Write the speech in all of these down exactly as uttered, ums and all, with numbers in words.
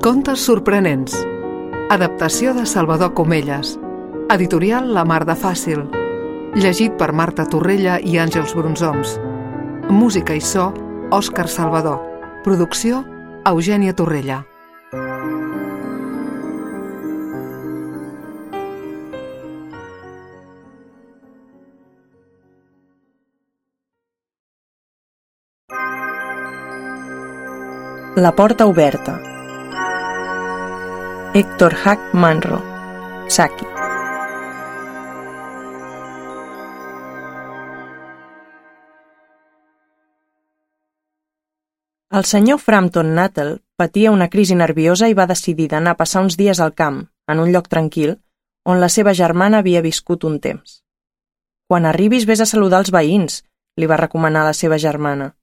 Contes sorprenents. Adaptació de Salvador Comelles. Editorial La Mar de Fàcil. Llegit per Marta Torrella i Àngels Brunzoms. Música i so, Òscar Salvador. Producció, Eugènia Torrella. La porta oberta. Héctor Hack Manro. Saki. El senyor Frampton Nuttall patia una crisi nerviosa i va decidir d'anar a passar uns dies al camp, en un lloc tranquil, on la seva germana havia viscut un temps. «Quan arribis vés a saludar els veïns», li va recomanar la seva germana.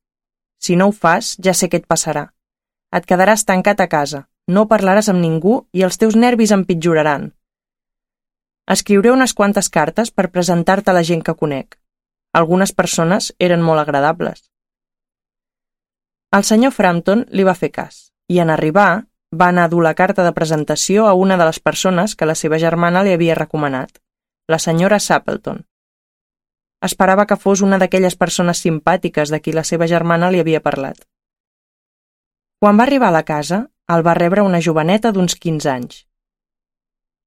«Si no ho fas, ja sé què et passarà. Et quedaràs tancat a casa, no parlaràs amb ningú i els teus nervis empitjoraran. Escriuré unes quantes cartes per presentar-te a la gent que conec. Algunes persones eren molt agradables». El senyor Frampton li va fer cas, i en arribar va anar a dur la carta de presentació a una de les persones que la seva germana li havia recomanat, la senyora Sappleton. Esperava que fos una d'aquelles persones simpàtiques de qui la seva germana li havia parlat. Quan va arribar a la casa, el va rebre una joveneta d'uns quinze anys.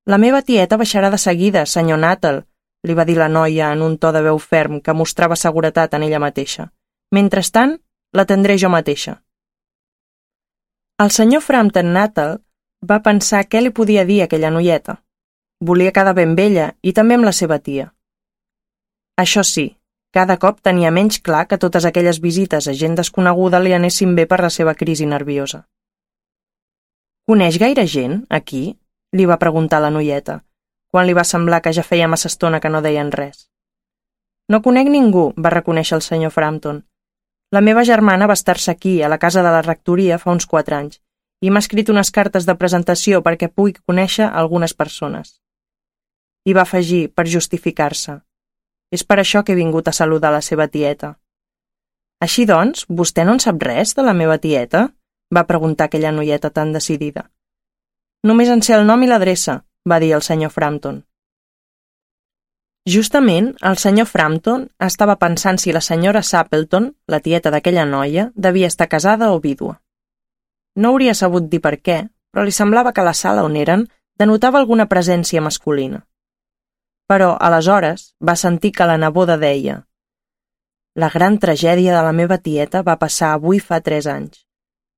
«La meva tieta baixarà de seguida, senyor Nuttall», li va dir la noia en un to de veu ferm que mostrava seguretat en ella mateixa. «Mentrestant, l'atendré jo mateixa». El senyor Frampton Nuttall va pensar què li podia dir aquella noieta. Volia quedar ben amb ella i també amb la seva tia. Això sí, cada cop tenia menys clar que totes aquelles visites a gent desconeguda li anessin bé per la seva crisi nerviosa. «Coneix gaire gent, aquí?», li va preguntar la noieta, quan li va semblar que ja feia massa estona que no deien res. «No conec ningú», va reconèixer el senyor Frampton. «La meva germana va estar-se aquí, a la casa de la rectoria, fa uns quatre anys, i m'ha escrit unes cartes de presentació perquè pugui conèixer algunes persones». I va afegir, per justificar-se: «És per això que he vingut a saludar la seva tieta». «Així doncs, vostè no en sap res de la meva tieta?», va preguntar aquella noieta tan decidida. «Només en sé el nom i l'adreça», va dir el senyor Frampton. Justament, el senyor Frampton estava pensant si la senyora Sappleton, la tieta d'aquella noia, devia estar casada o vídua. No hauria sabut dir per què, però li semblava que la sala on eren denotava alguna presència masculina. Però, aleshores, va sentir que la neboda deia: «La gran tragèdia de la meva tieta va passar avui fa tres anys.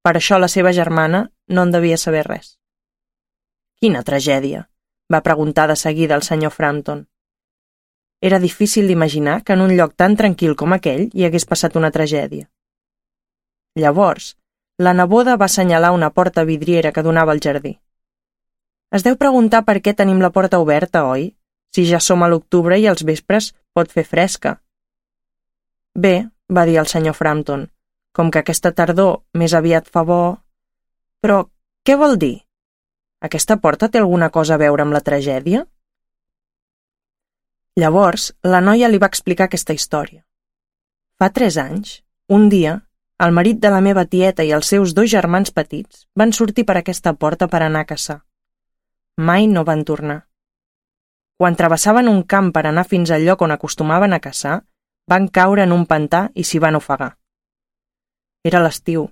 Per això la seva germana no en devia saber res». «Quina tragèdia?», va preguntar de seguida el senyor Frampton. Era difícil d'imaginar que en un lloc tan tranquil com aquell hi hagués passat una tragèdia. Llavors, la neboda va assenyalar una porta vidriera que donava al jardí. «Es deu preguntar per què tenim la porta oberta, oi? Si ja som a l'octubre i als vespres pot fer fresca». «Bé», va dir el senyor Frampton, «com que aquesta tardor més aviat fa bo... Però què vol dir? Aquesta porta té alguna cosa a veure amb la tragèdia?» Llavors, la noia li va explicar aquesta història. «Fa tres anys, un dia, el marit de la meva tieta i els seus dos germans petits van sortir per aquesta porta per anar a caçar. Mai no van tornar. Quan travessaven un camp per anar fins al lloc on acostumaven a caçar, van caure en un pantà i s'hi van ofegar. Era l'estiu.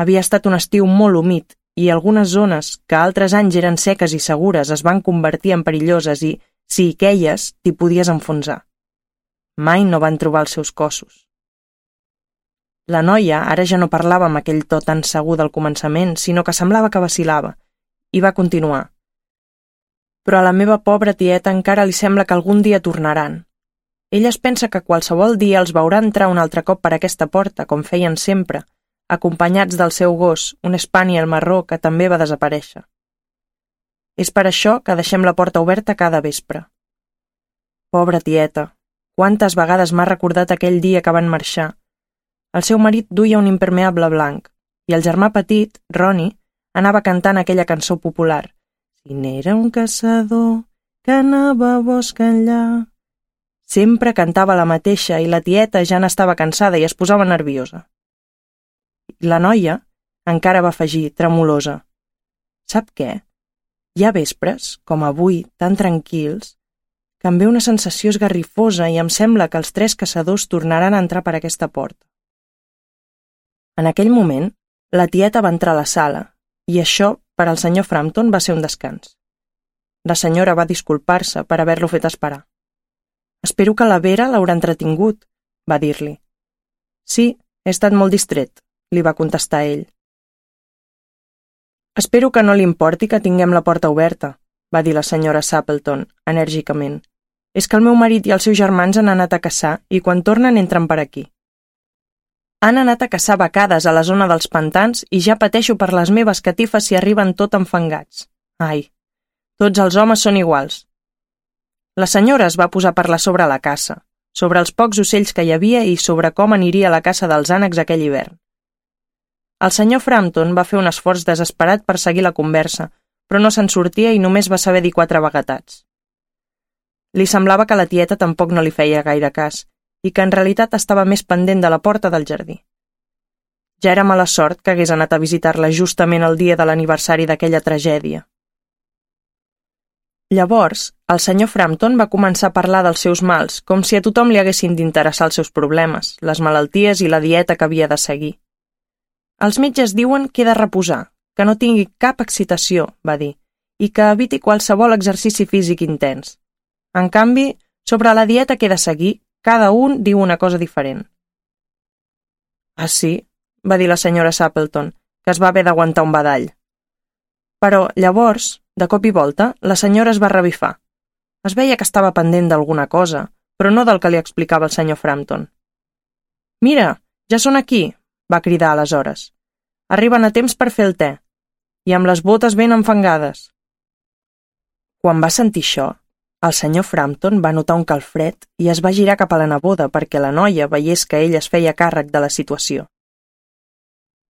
Havia estat un estiu molt humit i algunes zones, que altres anys eren seques i segures, es van convertir en perilloses i, si hi queies, t'hi podies enfonsar. Mai no van trobar els seus cossos». La noia ara ja no parlava amb aquell to tan segur del començament, sinó que semblava que vacil·lava, i va continuar: «Però a la meva pobra tieta encara li sembla que algun dia tornaran. Ella es pensa que qualsevol dia els veurà entrar un altre cop per aquesta porta, com feien sempre, acompanyats del seu gos, un spaniel marró que també va desaparèixer. És per això que deixem la porta oberta cada vespre. Pobra tieta, quantes vegades m'ha recordat aquell dia que van marxar. El seu marit duia un impermeable blanc, i el germà petit, Ronnie, anava cantant aquella cançó popular: «Si n'era un caçador que anava a bosc enllà». Sempre cantava la mateixa i la tieta ja n'estava cansada i es posava nerviosa. La noia encara va afegir, tremolosa: Sap què? Hi ha vespres, com avui, tan tranquils, que em ve una sensació esgarrifosa i em sembla que els tres caçadors tornaran a entrar per aquesta porta. En aquell moment, la tieta va entrar a la sala, i això, per al senyor Frampton, va ser un descans. La senyora va disculpar-se per haver-lo fet esperar. «Espero que la Vera l'haurà entretingut», va dir-li. «Sí, he estat molt distret», li va contestar ell. «Espero que no li importi que tinguem la porta oberta», va dir la senyora Sappleton, enèrgicament. «És que el meu marit i els seus germans han anat a caçar i quan tornen entren per aquí. Han anat a caçar becades a la zona dels pantans i ja pateixo per les meves catifes si arriben tot enfangats. Ai, tots els homes són iguals». La senyora es va posar a parlar sobre la caça, sobre els pocs ocells que hi havia i sobre com aniria la caça dels ànecs aquell hivern. El senyor Frampton va fer un esforç desesperat per seguir la conversa, però no se'n sortia i només va saber dir quatre vaguetats. Li semblava que la tieta tampoc no li feia gaire cas i que en realitat estava més pendent de la porta del jardí. Ja era mala sort que hagués anat a visitar-la justament el dia de l'aniversari d'aquella tragèdia. Llavors, el senyor Frampton va començar a parlar dels seus mals, com si a tothom li haguessin d'interessar els seus problemes, les malalties i la dieta que havia de seguir. «Els metges diuen que he de reposar, que no tingui cap excitació», va dir, «i que eviti qualsevol exercici físic intens. En canvi, sobre la dieta que he de seguir, cada un diu una cosa diferent». «Ah, sí?», va dir la senyora Sappleton, que es va haver d'aguantar un badall. Però, llavors, de cop i volta, la senyora es va revifar. Es veia que estava pendent d'alguna cosa, però no del que li explicava el senyor Frampton. «Mira, ja són aquí», va cridar aleshores. «Arriben a temps per fer el te, i amb les botes ben enfangades». Quan va sentir això, el senyor Frampton va notar un calfred i es va girar cap a la neboda perquè la noia veiés que ell es feia càrrec de la situació.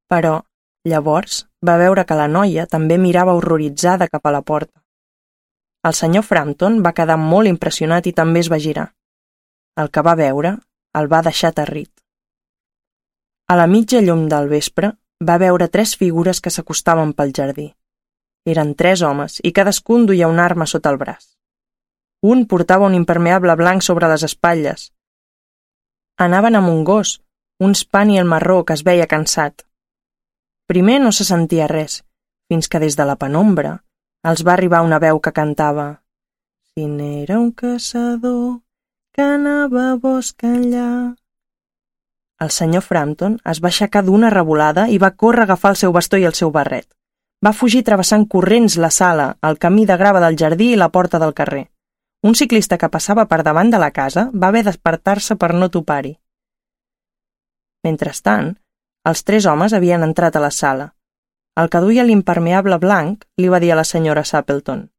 Però, llavors, va veure que la noia també mirava horroritzada cap a la porta. El senyor Frampton va quedar molt impressionat i també es va girar. El que va veure el va deixar aterrit. A la mitja llum del vespre va veure tres figures que s'acostaven pel jardí. Eren tres homes i cadascun duia una arma sota el braç. Un portava un impermeable blanc sobre les espatlles. Anaven amb un gos, un spaniel marró que es veia cansat. Primer no se sentia res, fins que des de la penombra els va arribar una veu que cantava «Si n'era un caçador que anava a bosc enllà». El senyor Frampton es va aixecar d'una revolada i va córrer a agafar el seu bastó i el seu barret. Va fugir travessant corrents la sala, el camí de grava del jardí i la porta del carrer. Un ciclista que passava per davant de la casa va haver d'espertar-se per no topar-hi. Mentrestant, els tres homes havien entrat a la sala. El que duia l'impermeable blanc li va dir a la senyora Sappleton: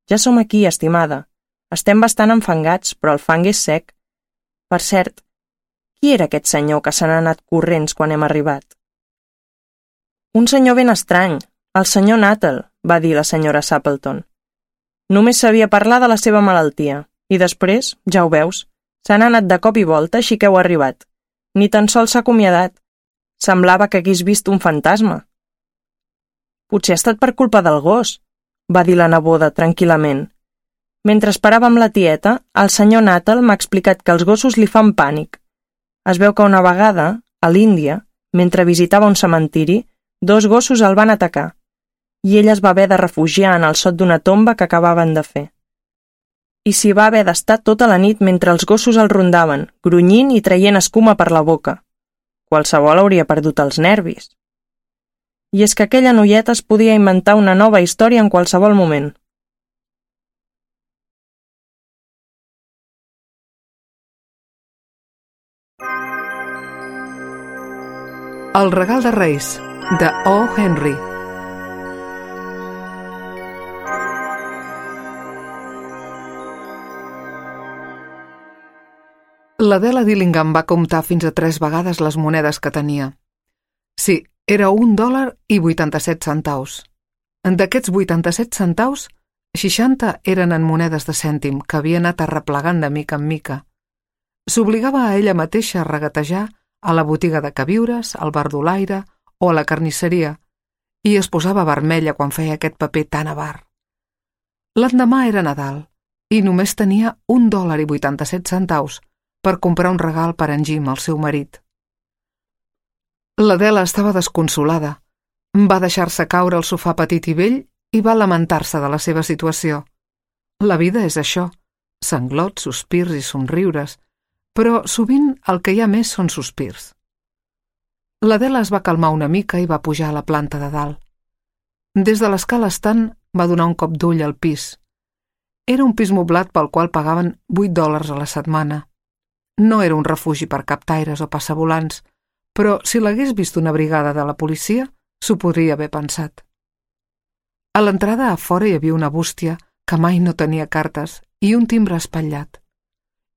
«Ja som aquí, estimada. Estem bastant enfangats, però el fang és sec. Per cert, qui era aquest senyor que se n'ha anat corrents quan hem arribat?» «Un senyor ben estrany, el senyor Nuttall», va dir la senyora Sappleton. «Només sabia parlar de la seva malaltia, i després, ja ho veus, se n'ha anat de cop i volta així que heu arribat. Ni tan sols s'ha acomiadat. Semblava que hagués vist un fantasma». «Potser ha estat per culpa del gos», va dir la neboda tranquil·lament. «Mentre esperàvem la tieta, el senyor Nuttall m'ha explicat que els gossos li fan pànic. Es veu que una vegada, a l'Índia, mentre visitava un cementiri, dos gossos el van atacar, i ell es va haver de refugiar en el sot d'una tomba que acabaven de fer. I s'hi va haver d'estar tota la nit mentre els gossos el rondaven, grunyint i traient escuma per la boca. Qualsevol hauria perdut els nervis. I és que aquella noieta es podia inventar una nova història en qualsevol moment». El regal de Reis, de O. Henry. L'Adela Dillingham va comptar fins a tres vegades les monedes que tenia. Sí, era un dòlar i vuitanta-set centaus. D'aquests vuitanta-set centaus, seixanta eren en monedes de cèntim que havia anat arreplegant de mica en mica. S'obligava a ella mateixa a regatejar a la botiga de queviures, al bar d'Olaire o a la carnisseria, i es posava vermella quan feia aquest paper tan avar. L'endemà era Nadal i només tenia un dòlar i vuitanta-set centaus per comprar un regal per en Jim, el seu marit. L'Adela estava desconsolada. Va deixar-se caure al sofà petit i vell i va lamentar-se de la seva situació. La vida és això, sanglots, sospirs i somriures, però sovint el que hi ha més són sospirs. L'Adela es va calmar una mica i va pujar a la planta de dalt. Des de l'escala estant va donar un cop d'ull al pis. Era un pis moblat pel qual pagaven vuit dòlars a la setmana. No era un refugi per captaires o passavolants, però si l'hagués vist una brigada de la policia, s'ho podria haver pensat. A l'entrada a fora hi havia una bústia que mai no tenia cartes i un timbre espatllat.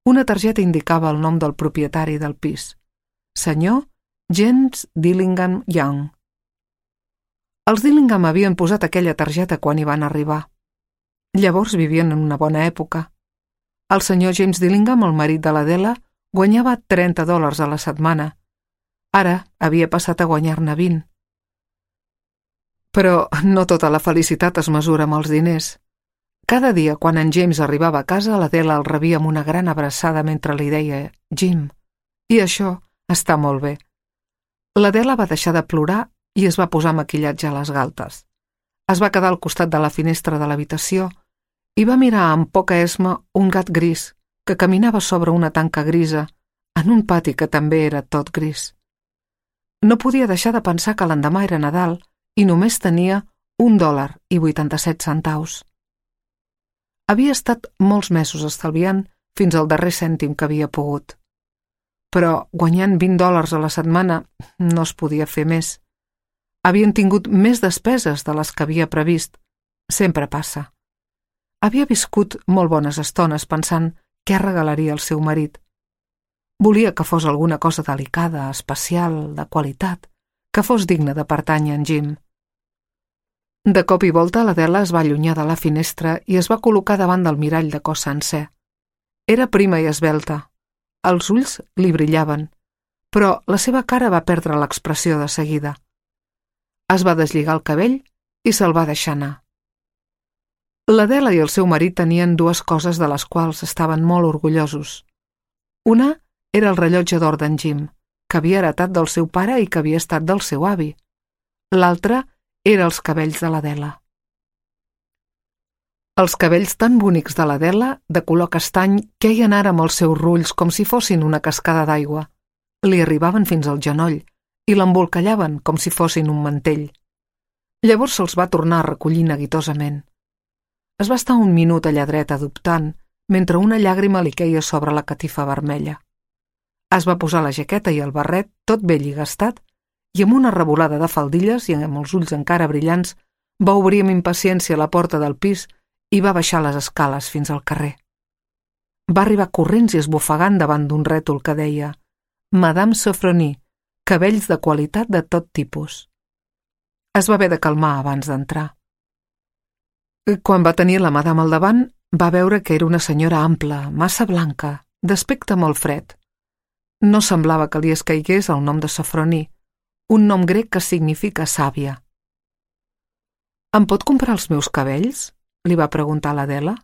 Una targeta indicava el nom del propietari del pis, senyor James Dillingham Young. Els Dillingham havien posat aquella targeta quan hi van arribar. Llavors vivien en una bona època. El senyor James Dillingham, el marit de l'Adela, guanyava trenta dòlars a la setmana. Ara havia passat a guanyar-ne vint. Però no tota la felicitat es mesura amb els diners. Cada dia, quan en James arribava a casa, l'Adela el rebia amb una gran abraçada mentre li deia «Jim». I això està molt bé. L'Adela va deixar de plorar i es va posar maquillatge a les galtes. Es va quedar al costat de la finestra de l'habitació i va mirar amb poca esma un gat gris que caminava sobre una tanca grisa en un pati que també era tot gris. No podia deixar de pensar que l'endemà era Nadal i només tenia un dòlar i vuitanta-set centaus. Havia estat molts mesos estalviant fins al darrer cèntim que havia pogut. Però guanyant vint dòlars a la setmana no es podia fer més. Havien tingut més despeses de les que havia previst. Sempre passa. Havia viscut molt bones estones pensant què regalaria al seu marit. Volia que fos alguna cosa delicada, especial, de qualitat, que fos digne de pertànyer a en Jim. De cop i volta l'Adela es va allunyar de la finestra i es va col·locar davant del mirall de cos sencer. Era prima i esvelta. Els ulls li brillaven, però la seva cara va perdre l'expressió de seguida. Es va deslligar el cabell i se'l va deixar anar. L'Adela i el seu marit tenien dues coses de les quals estaven molt orgullosos. Una era el rellotge d'or d'en Jim, que havia heretat del seu pare i que havia estat del seu avi. L'altra era els cabells de l'Adela. Els cabells tan bonics de l'Adela, de color castany, queien ara amb els seus rulls com si fossin una cascada d'aigua. Li arribaven fins al genoll i l'embolcallaven com si fossin un mantell. Llavors se'ls va tornar a recollir neguitosament. Es va estar un minut allà dreta dubtant, mentre una llàgrima li queia sobre la catifa vermella. Es va posar la jaqueta i el barret, tot vell i gastat, i amb una revolada de faldilles i amb els ulls encara brillants, va obrir amb impaciència la porta del pis i va baixar les escales fins al carrer. Va arribar corrents i esbufegant davant d'un rètol que deia «Madame Sofronie, cabells de qualitat de tot tipus». Es va haver de calmar abans d'entrar. Quan va tenir la madame al davant, va veure que era una senyora ampla, massa blanca, d'aspecte molt fred. No semblava que li escaigués el nom de Sofronie, un nom grec que significa sàvia. «Em pot comprar els meus cabells?», li va preguntar l'Adela.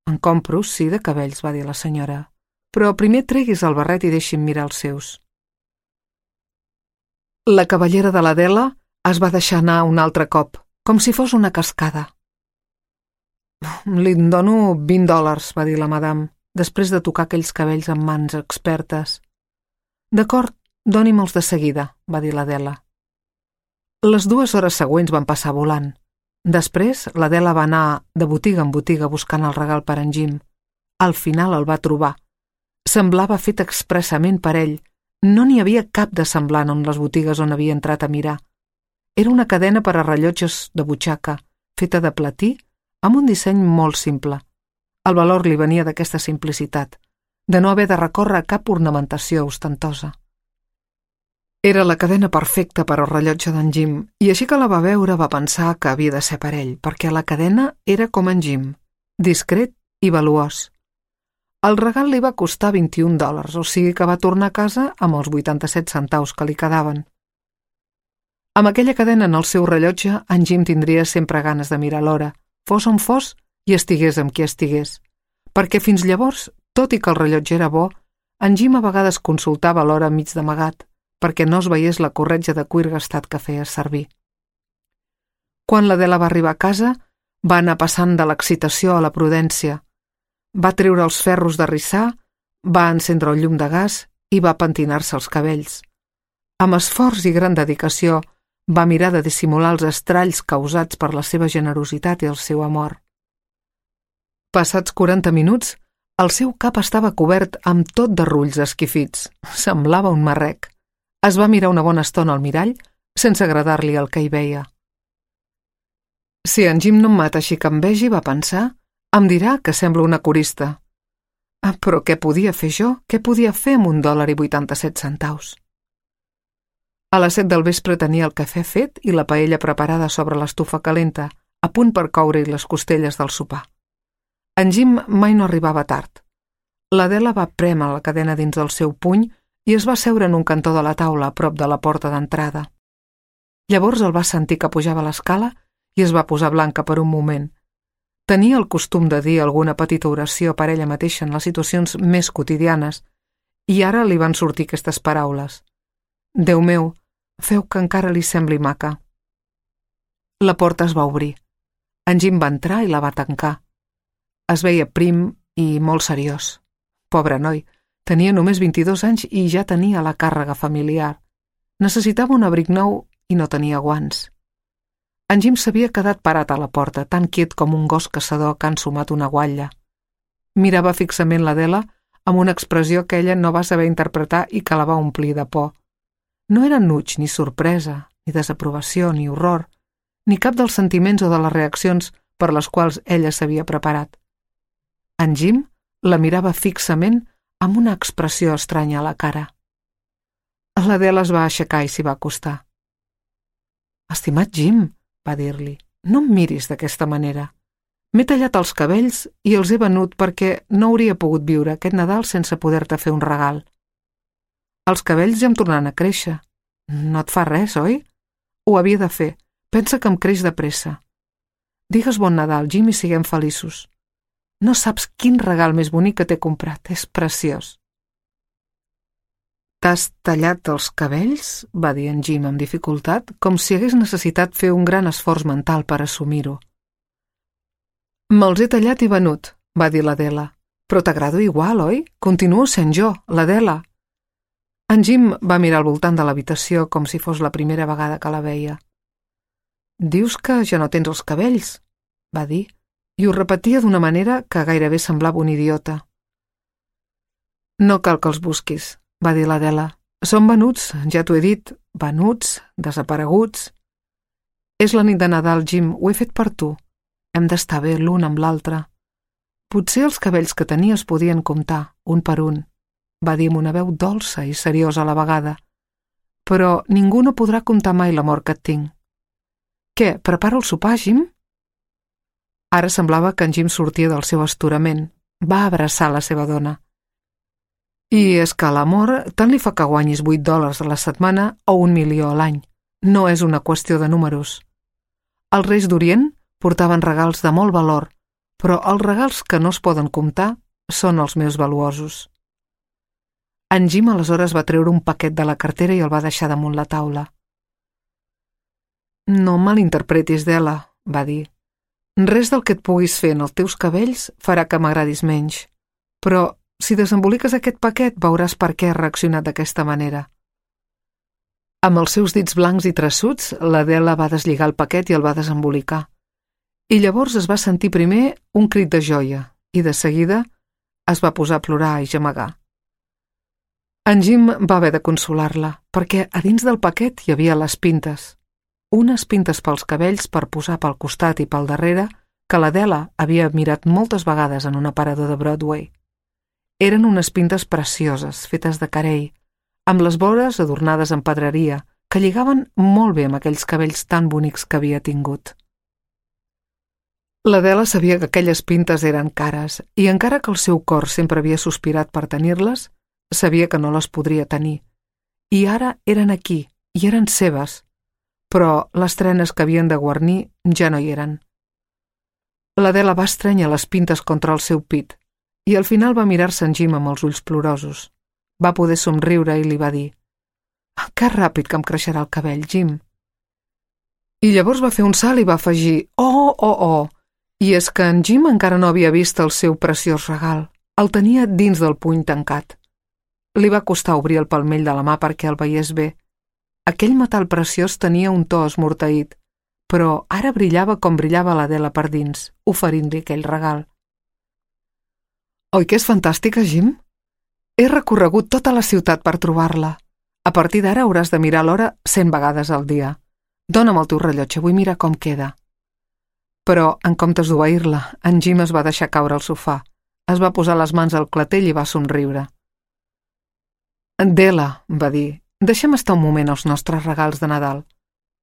«En compro, sí, de cabells», va dir la senyora, «però primer treguis el barret i deixi'm mirar els seus». La cavallera de l'Adela es va deixar anar un altre cop, com si fos una cascada. «Li dono vint dòlars», va dir la madame, després de tocar aquells cabells amb mans expertes. «D'acord, doni'm-els de seguida», va dir l'Adela. Les dues hores següents van passar volant. Després, l'Adela va anar de botiga en botiga buscant el regal per en Jim. Al final el va trobar. Semblava fet expressament per ell. No n'hi havia cap de semblant en les botigues on havia entrat a mirar. Era una cadena per a rellotges de butxaca, feta de platí, amb un disseny molt simple. El valor li venia d'aquesta simplicitat, de no haver de recórrer a cap ornamentació ostentosa. Era la cadena perfecta per al rellotge d'en Jim, i així que la va veure va pensar que havia de ser per ell, perquè la cadena era com en Jim, discret i valuós. El regal li va costar vint-i-un dòlars, o sigui que va tornar a casa amb els vuitanta-set centaus que li quedaven. Amb aquella cadena en el seu rellotge, en Jim tindria sempre ganes de mirar l'hora, fos on fos i estigués amb qui estigués. Perquè fins llavors, tot i que el rellotge era bo, en Jim a vegades consultava l'hora mig d'amagat, perquè no es veiés la corretja de cuir gastat que feia servir. Quan l'Adela va arribar a casa, va anar passant de l'excitació a la prudència. Va treure els ferros de rissar, va encendre el llum de gas i va pentinar-se els cabells. Amb esforç i gran dedicació, va mirar de dissimular els estralls causats per la seva generositat i el seu amor. Passats quaranta minuts, el seu cap estava cobert amb tot de rulls esquifits. Semblava un marrec. Es va mirar una bona estona al mirall, sense agradar-li el que hi veia. Si en Jim no em mata així que em vegi, va pensar, em dirà que sembla una corista. Ah, però què podia fer jo? Què podia fer amb un dòlar i vuitanta-set centaus? A les set del vespre tenia el cafè fet i la paella preparada sobre l'estufa calenta, a punt per coure-hi les costelles del sopar. En Jim mai no arribava tard. L'Adela va prémer la cadena dins del seu puny i es va seure en un cantó de la taula a prop de la porta d'entrada. Llavors el va sentir que pujava l'escala i es va posar blanca per un moment. Tenia el costum de dir alguna petita oració per ella mateixa en les situacions més quotidianes i ara li van sortir aquestes paraules. Déu meu, feu que encara li sembli maca. La porta es va obrir. En Jim va entrar i la va tancar. Es veia prim i molt seriós. Pobre noi, tenia només vint-i-dos anys i ja tenia la càrrega familiar. Necessitava un abric nou i no tenia guants. En Jim s'havia quedat parat a la porta, tan quiet com un gos caçador que ha ensumat una guatlla. Mirava fixament l'Adela amb una expressió que ella no va saber interpretar i que la va omplir de por. No era enuig, ni sorpresa, ni desaprovació, ni horror, ni cap dels sentiments o de les reaccions per les quals ella s'havia preparat. En Jim la mirava fixament amb una expressió estranya a la cara. L'Adela es va aixecar i s'hi va acostar. Estimat Jim, va dir-li, no em miris d'aquesta manera. M'he tallat els cabells i els he venut perquè no hauria pogut viure aquest Nadal sense poder-te fer un regal. Els cabells ja em tornaran a créixer. No et fa res, oi? Ho havia de fer. Pensa que em creix de pressa. Digues bon Nadal, Jim, i siguem feliços. No saps quin regal més bonic que t'he comprat. És preciós. T'has tallat els cabells? Va dir en Jim amb dificultat, com si hagués necessitat fer un gran esforç mental per assumir-ho. Me'ls he tallat i venut, va dir l'Adela. Però t'agrado igual, oi? Continuo sent jo, l'Adela. En Jim va mirar al voltant de l'habitació com si fos la primera vegada que la veia. Dius que ja no tens els cabells, va dir, i ho repetia d'una manera que gairebé semblava un idiota. No cal que els busquis, va dir l'Adela. Són venuts, ja t'ho he dit, venuts, desapareguts. És la nit de Nadal, Jim, ho he fet per tu. Hem d'estar bé l'un amb l'altre. Potser els cabells que tenies podien comptar, un per un, va dir amb una veu dolça i seriosa a la vegada. Però ningú no podrà comptar mai l'amor que et tinc. Què, prepara el sopar, Jim? Ara semblava que en Jim sortia del seu astorament. Va abraçar la seva dona. I és que l'amor tant li fa que guanyis vuit dòlars a la setmana o un milió a l'any. No és una qüestió de números. Els reis d'Orient portaven regals de molt valor, però els regals que no es poden comptar són els més valuosos. En Jim aleshores va treure un paquet de la cartera i el va deixar damunt la taula. No malinterpretis, Della, va dir. Res del que et puguis fer en els teus cabells farà que m'agradis menys, però si desemboliques aquest paquet veuràs per què has reaccionat d'aquesta manera. Amb els seus dits blancs i traçuts, l'Adela va deslligar el paquet i el va desembolicar. I llavors es va sentir primer un crit de joia i de seguida es va posar a plorar i gemegar. En Jim va haver de consolar-la, perquè a dins del paquet hi havia les pintes. Unes pintes pels cabells per posar pel costat i pel darrere que l'Adela havia mirat moltes vegades en un aparador de Broadway. Eren unes pintes precioses, fetes de carei, amb les vores adornades amb pedreria, que lligaven molt bé amb aquells cabells tan bonics que havia tingut. L'Adela sabia que aquelles pintes eren cares i encara que el seu cor sempre havia sospirat per tenir-les, sabia que no les podria tenir. I ara eren aquí, i eren seves. però les trenes que havien de guarnir ja no hi eren. L'Adela va estrènyer les pintes contra el seu pit i al final va mirar-se en Jim amb els ulls plorosos. Va poder somriure i li va dir: «Que ràpid que em creixerà el cabell, Jim». I llavors va fer un salt i va afegir: «Oh, oh, oh!» I és que en Jim encara no havia vist el seu preciós regal. El tenia dins del puny tancat. Li va costar obrir el palmell de la mà perquè el veiés bé. Aquell metall preciós tenia un to esmorteït, però ara brillava com brillava l'Adela per dins, oferint-li aquell regal. «Oi que és fantàstica, Jim? He recorregut tota la ciutat per trobar-la. A partir d'ara hauràs de mirar l'hora cent vegades al dia. Dóna'm el teu rellotge, vull mirar com queda». Però, en comptes d'obeir-la, en Jim es va deixar caure al sofà, es va posar les mans al clatell i va somriure. «Dela», va dir, «deixem estar un moment els nostres regals de Nadal.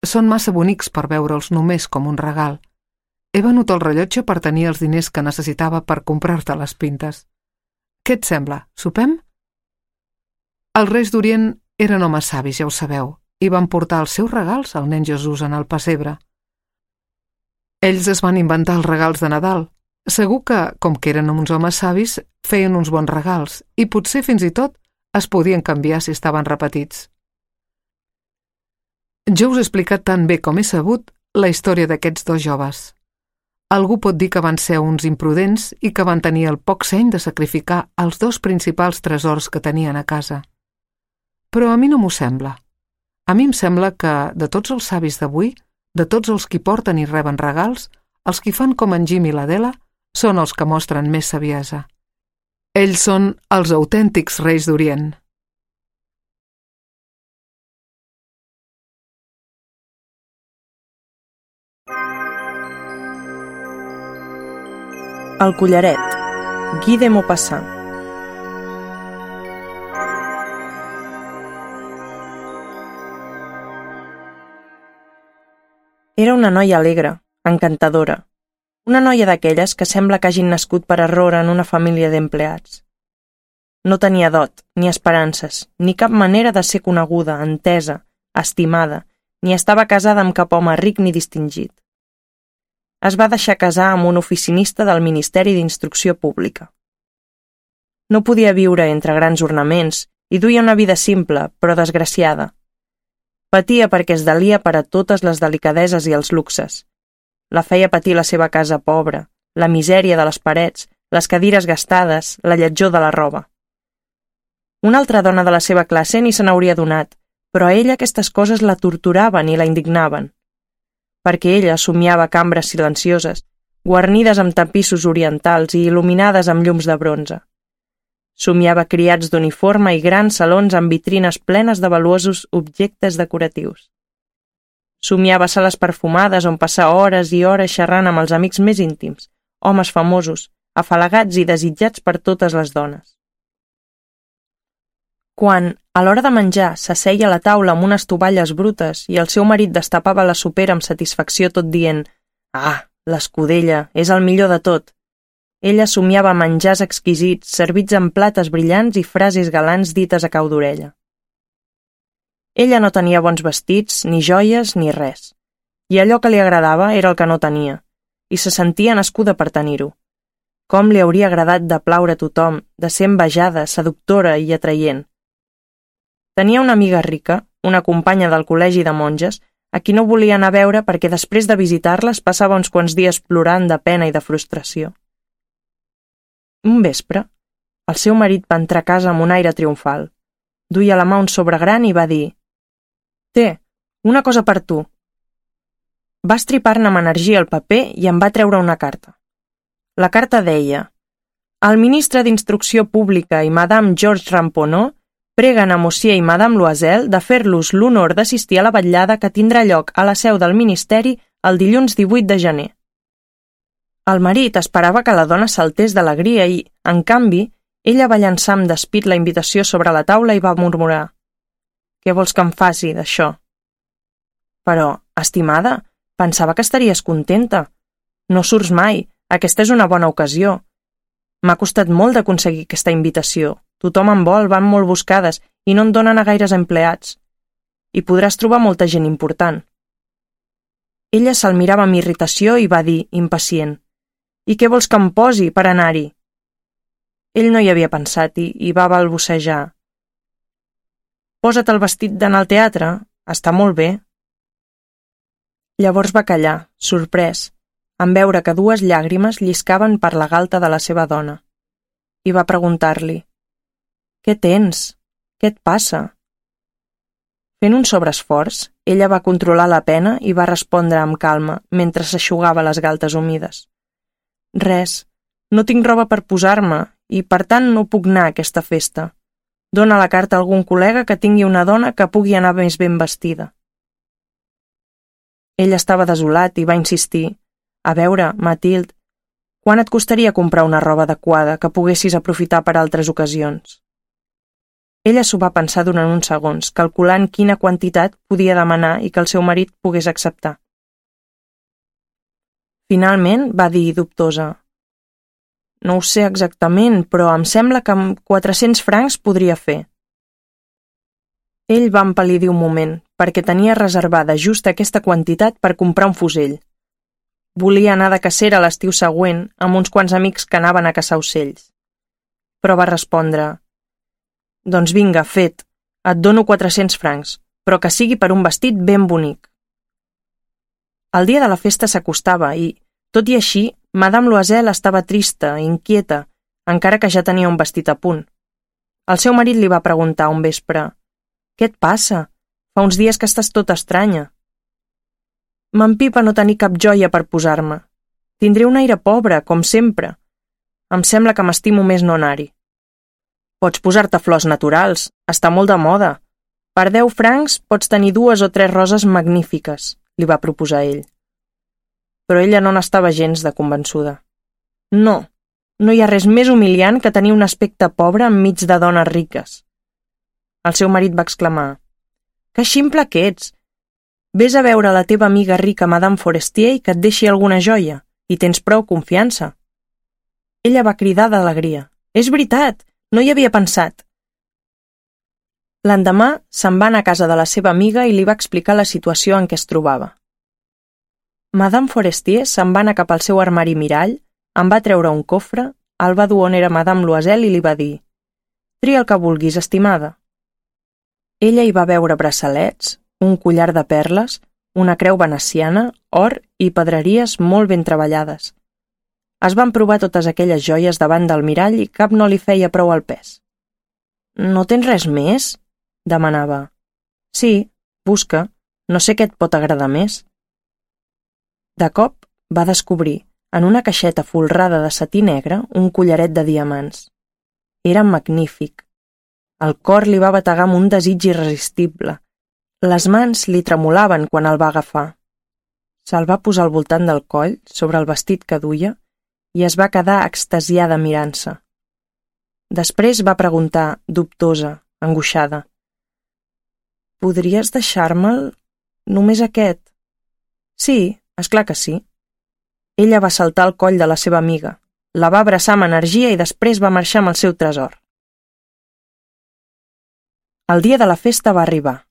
Són massa bonics per veure'ls només com un regal. He venut el rellotge per tenir els diners que necessitava per comprar-te les pintes. Què et sembla? Sopem?» Els Reis d'Orient eren homes savis, ja ho sabeu, i van portar els seus regals al nen Jesús en el pessebre. Ells es van inventar els regals de Nadal. Segur que, com que eren uns homes savis, feien uns bons regals i potser fins i tot es podien canviar si estaven repetits. Jo us he explicat tan bé com he sabut la història d'aquests dos joves. Algú pot dir que van ser uns imprudents i que van tenir el poc seny de sacrificar els dos principals tresors que tenien a casa. Però a mi no m'ho sembla. A mi em sembla que, de tots els savis d'avui, de tots els qui porten i reben regals, els qui fan com en Jim i l'Adela són els que mostren més saviesa. Ells són els autèntics Reis d'Orient. El collaret, Guy de Maupassant. Era una noia alegre, encantadora. Una noia d'aquelles que sembla que hagin nascut per error en una família d'empleats. No tenia dot, ni esperances, ni cap manera de ser coneguda, entesa, estimada, ni estava casada amb cap home ric ni distingit. Es va deixar casar amb un oficinista del Ministeri d'Instrucció Pública. No podia viure entre grans ornaments i duia una vida simple, però desgraciada. Patia perquè es delia per a totes les delicadeses i els luxes. La feia patir la seva casa pobra, la misèria de les parets, les cadires gastades, la lletjor de la roba. Una altra dona de la seva classe ni se n'hauria adonat, però a ella aquestes coses la torturaven i la indignaven. Perquè ella somiava cambres silencioses, guarnides amb tapissos orientals i il·luminades amb llums de bronze. Somiava criats d'uniforme i grans salons amb vitrines plenes de valuosos objectes decoratius. Somiava sales perfumades on passar hores i hores xerrant amb els amics més íntims, homes famosos, afalagats i desitjats per totes les dones. Quan, a l'hora de menjar, s'asseia a la taula amb unes tovalles brutes i el seu marit destapava la sopera amb satisfacció tot dient «Ah, l'escudella, és el millor de tot!», ella somiava menjars exquisits, servits en plates brillants i frases galants dites a cau d'orella. Ella no tenia bons vestits, ni joies, ni res. I allò que li agradava era el que no tenia, i se sentia nascuda per tenir-ho. Com li hauria agradat de plaure a tothom, de ser envejada, seductora i atraient. Tenia una amiga rica, una companya del col·legi de monges, a qui no volia anar a veure perquè després de visitar-les passava uns quants dies plorant de pena i de frustració. Un vespre, el seu marit va entrar a casa amb un aire triomfal. Duia a la mà un sobre gran i va dir «Té, una cosa per tu». Va estripar-ne amb energia el paper i en va treure una carta. La carta deia «El ministre d'Instrucció Pública i Madame Georges Ramponneau preguen a Monsieur i Madame Loisel de fer-los l'honor d'assistir a la vetllada que tindrà lloc a la seu del Ministeri el dilluns divuit de gener». El marit esperava que la dona saltés d'alegria i, en canvi, ella va llançar amb despit la invitació sobre la taula i va murmurar «Què vols que em faci, d'això?» «Però, estimada, pensava que estaries contenta. No surts mai, aquesta és una bona ocasió. M'ha costat molt d'aconseguir aquesta invitació. Tothom en vol, van molt buscades i no en donen a gaires empleats. I podràs trobar molta gent important. Ella se'l mirava amb irritació i va dir, impacient: «I què vols que em posi per anar-hi?» Ell no hi havia pensat i, i va balbucejar: «Posa't el vestit d'anar al teatre, està molt bé». Llavors va callar, sorprès, en veure que dues llàgrimes lliscaven per la galta de la seva dona, i va preguntar-li: «Què tens? Què et passa?» Fent un sobreesforç, ella va controlar la pena i va respondre amb calma mentre s'eixugava les galtes humides: «Res, no tinc roba per posar-me i, per tant, no puc anar a aquesta festa. Dóna la carta a algun col·lega que tingui una dona que pugui anar més ben vestida». Ell estava desolat i va insistir: «A veure, Mathilde, quant et costaria comprar una roba adequada que poguessis aprofitar per altres ocasions?» Ella s'ho va pensar durant uns segons, calculant quina quantitat podia demanar i que el seu marit pogués acceptar. Finalment va dir, dubtosa: «No ho sé exactament, però em sembla que amb quatre-cents francs podria fer». Ell va empal·lidir un moment, perquè tenia reservada just aquesta quantitat per comprar un fusell. Volia anar de cacera l'estiu següent amb uns quants amics que anaven a caçar ocells. Però va respondre: «Doncs vinga, fet, et dono quatre-cents francs, però que sigui per un vestit ben bonic». El dia de la festa s'acostava i, tot i així, Madame Loisel estava trista, inquieta, encara que ja tenia un vestit a punt. El seu marit li va preguntar un vespre: «Què et passa? Fa uns dies que estàs tota estranya». «M'empipa no tenir cap joia per posar-me. Tindré un aire pobre, com sempre. Em sembla que m'estimo més no anar-hi». «Pots posar-te flors naturals, està molt de moda. Per deu francs pots tenir dues o tres roses magnífiques», li va proposar ell. Però ella no n'estava gens de convençuda. «No, no hi ha res més humiliant que tenir un aspecte pobre enmig de dones riques». El seu marit va exclamar: «Que ximple que ets! Ves a veure la teva amiga rica Madame Forestier i que et deixi alguna joia, i tens prou confiança». Ella va cridar d'alegria: «És veritat! No hi havia pensat». L'endemà se'n va anar a casa de la seva amiga i li va explicar la situació en què es trobava. Madame Forestier se'n va anar cap al seu armari mirall, en va treure un cofre, el va dur on era Madame Loisel i li va dir: «Tria el que vulguis, estimada». Ella hi va veure braçalets, un collar de perles, una creu veneciana, or i pedreries molt ben treballades. Es van provar totes aquelles joies davant del mirall i cap no li feia prou al pes. «No tens res més?», demanava. «Sí, busca, no sé què et pot agradar més». De cop va descobrir, en una caixeta folrada de setí negre, un collaret de diamants. Era magnífic. El cor li va bategar amb un desig irresistible. Les mans li tremolaven quan el va agafar. Se'l va posar al voltant del coll, sobre el vestit que duia, i es va quedar extasiada mirant-se. Després va preguntar, dubtosa, angoixada: «Podries deixar-me'l? Només aquest?» «Sí, és clar que sí». Ella va saltar al coll de la seva amiga, la va abraçar amb energia i després va marxar amb el seu tresor. El dia de la festa va arribar.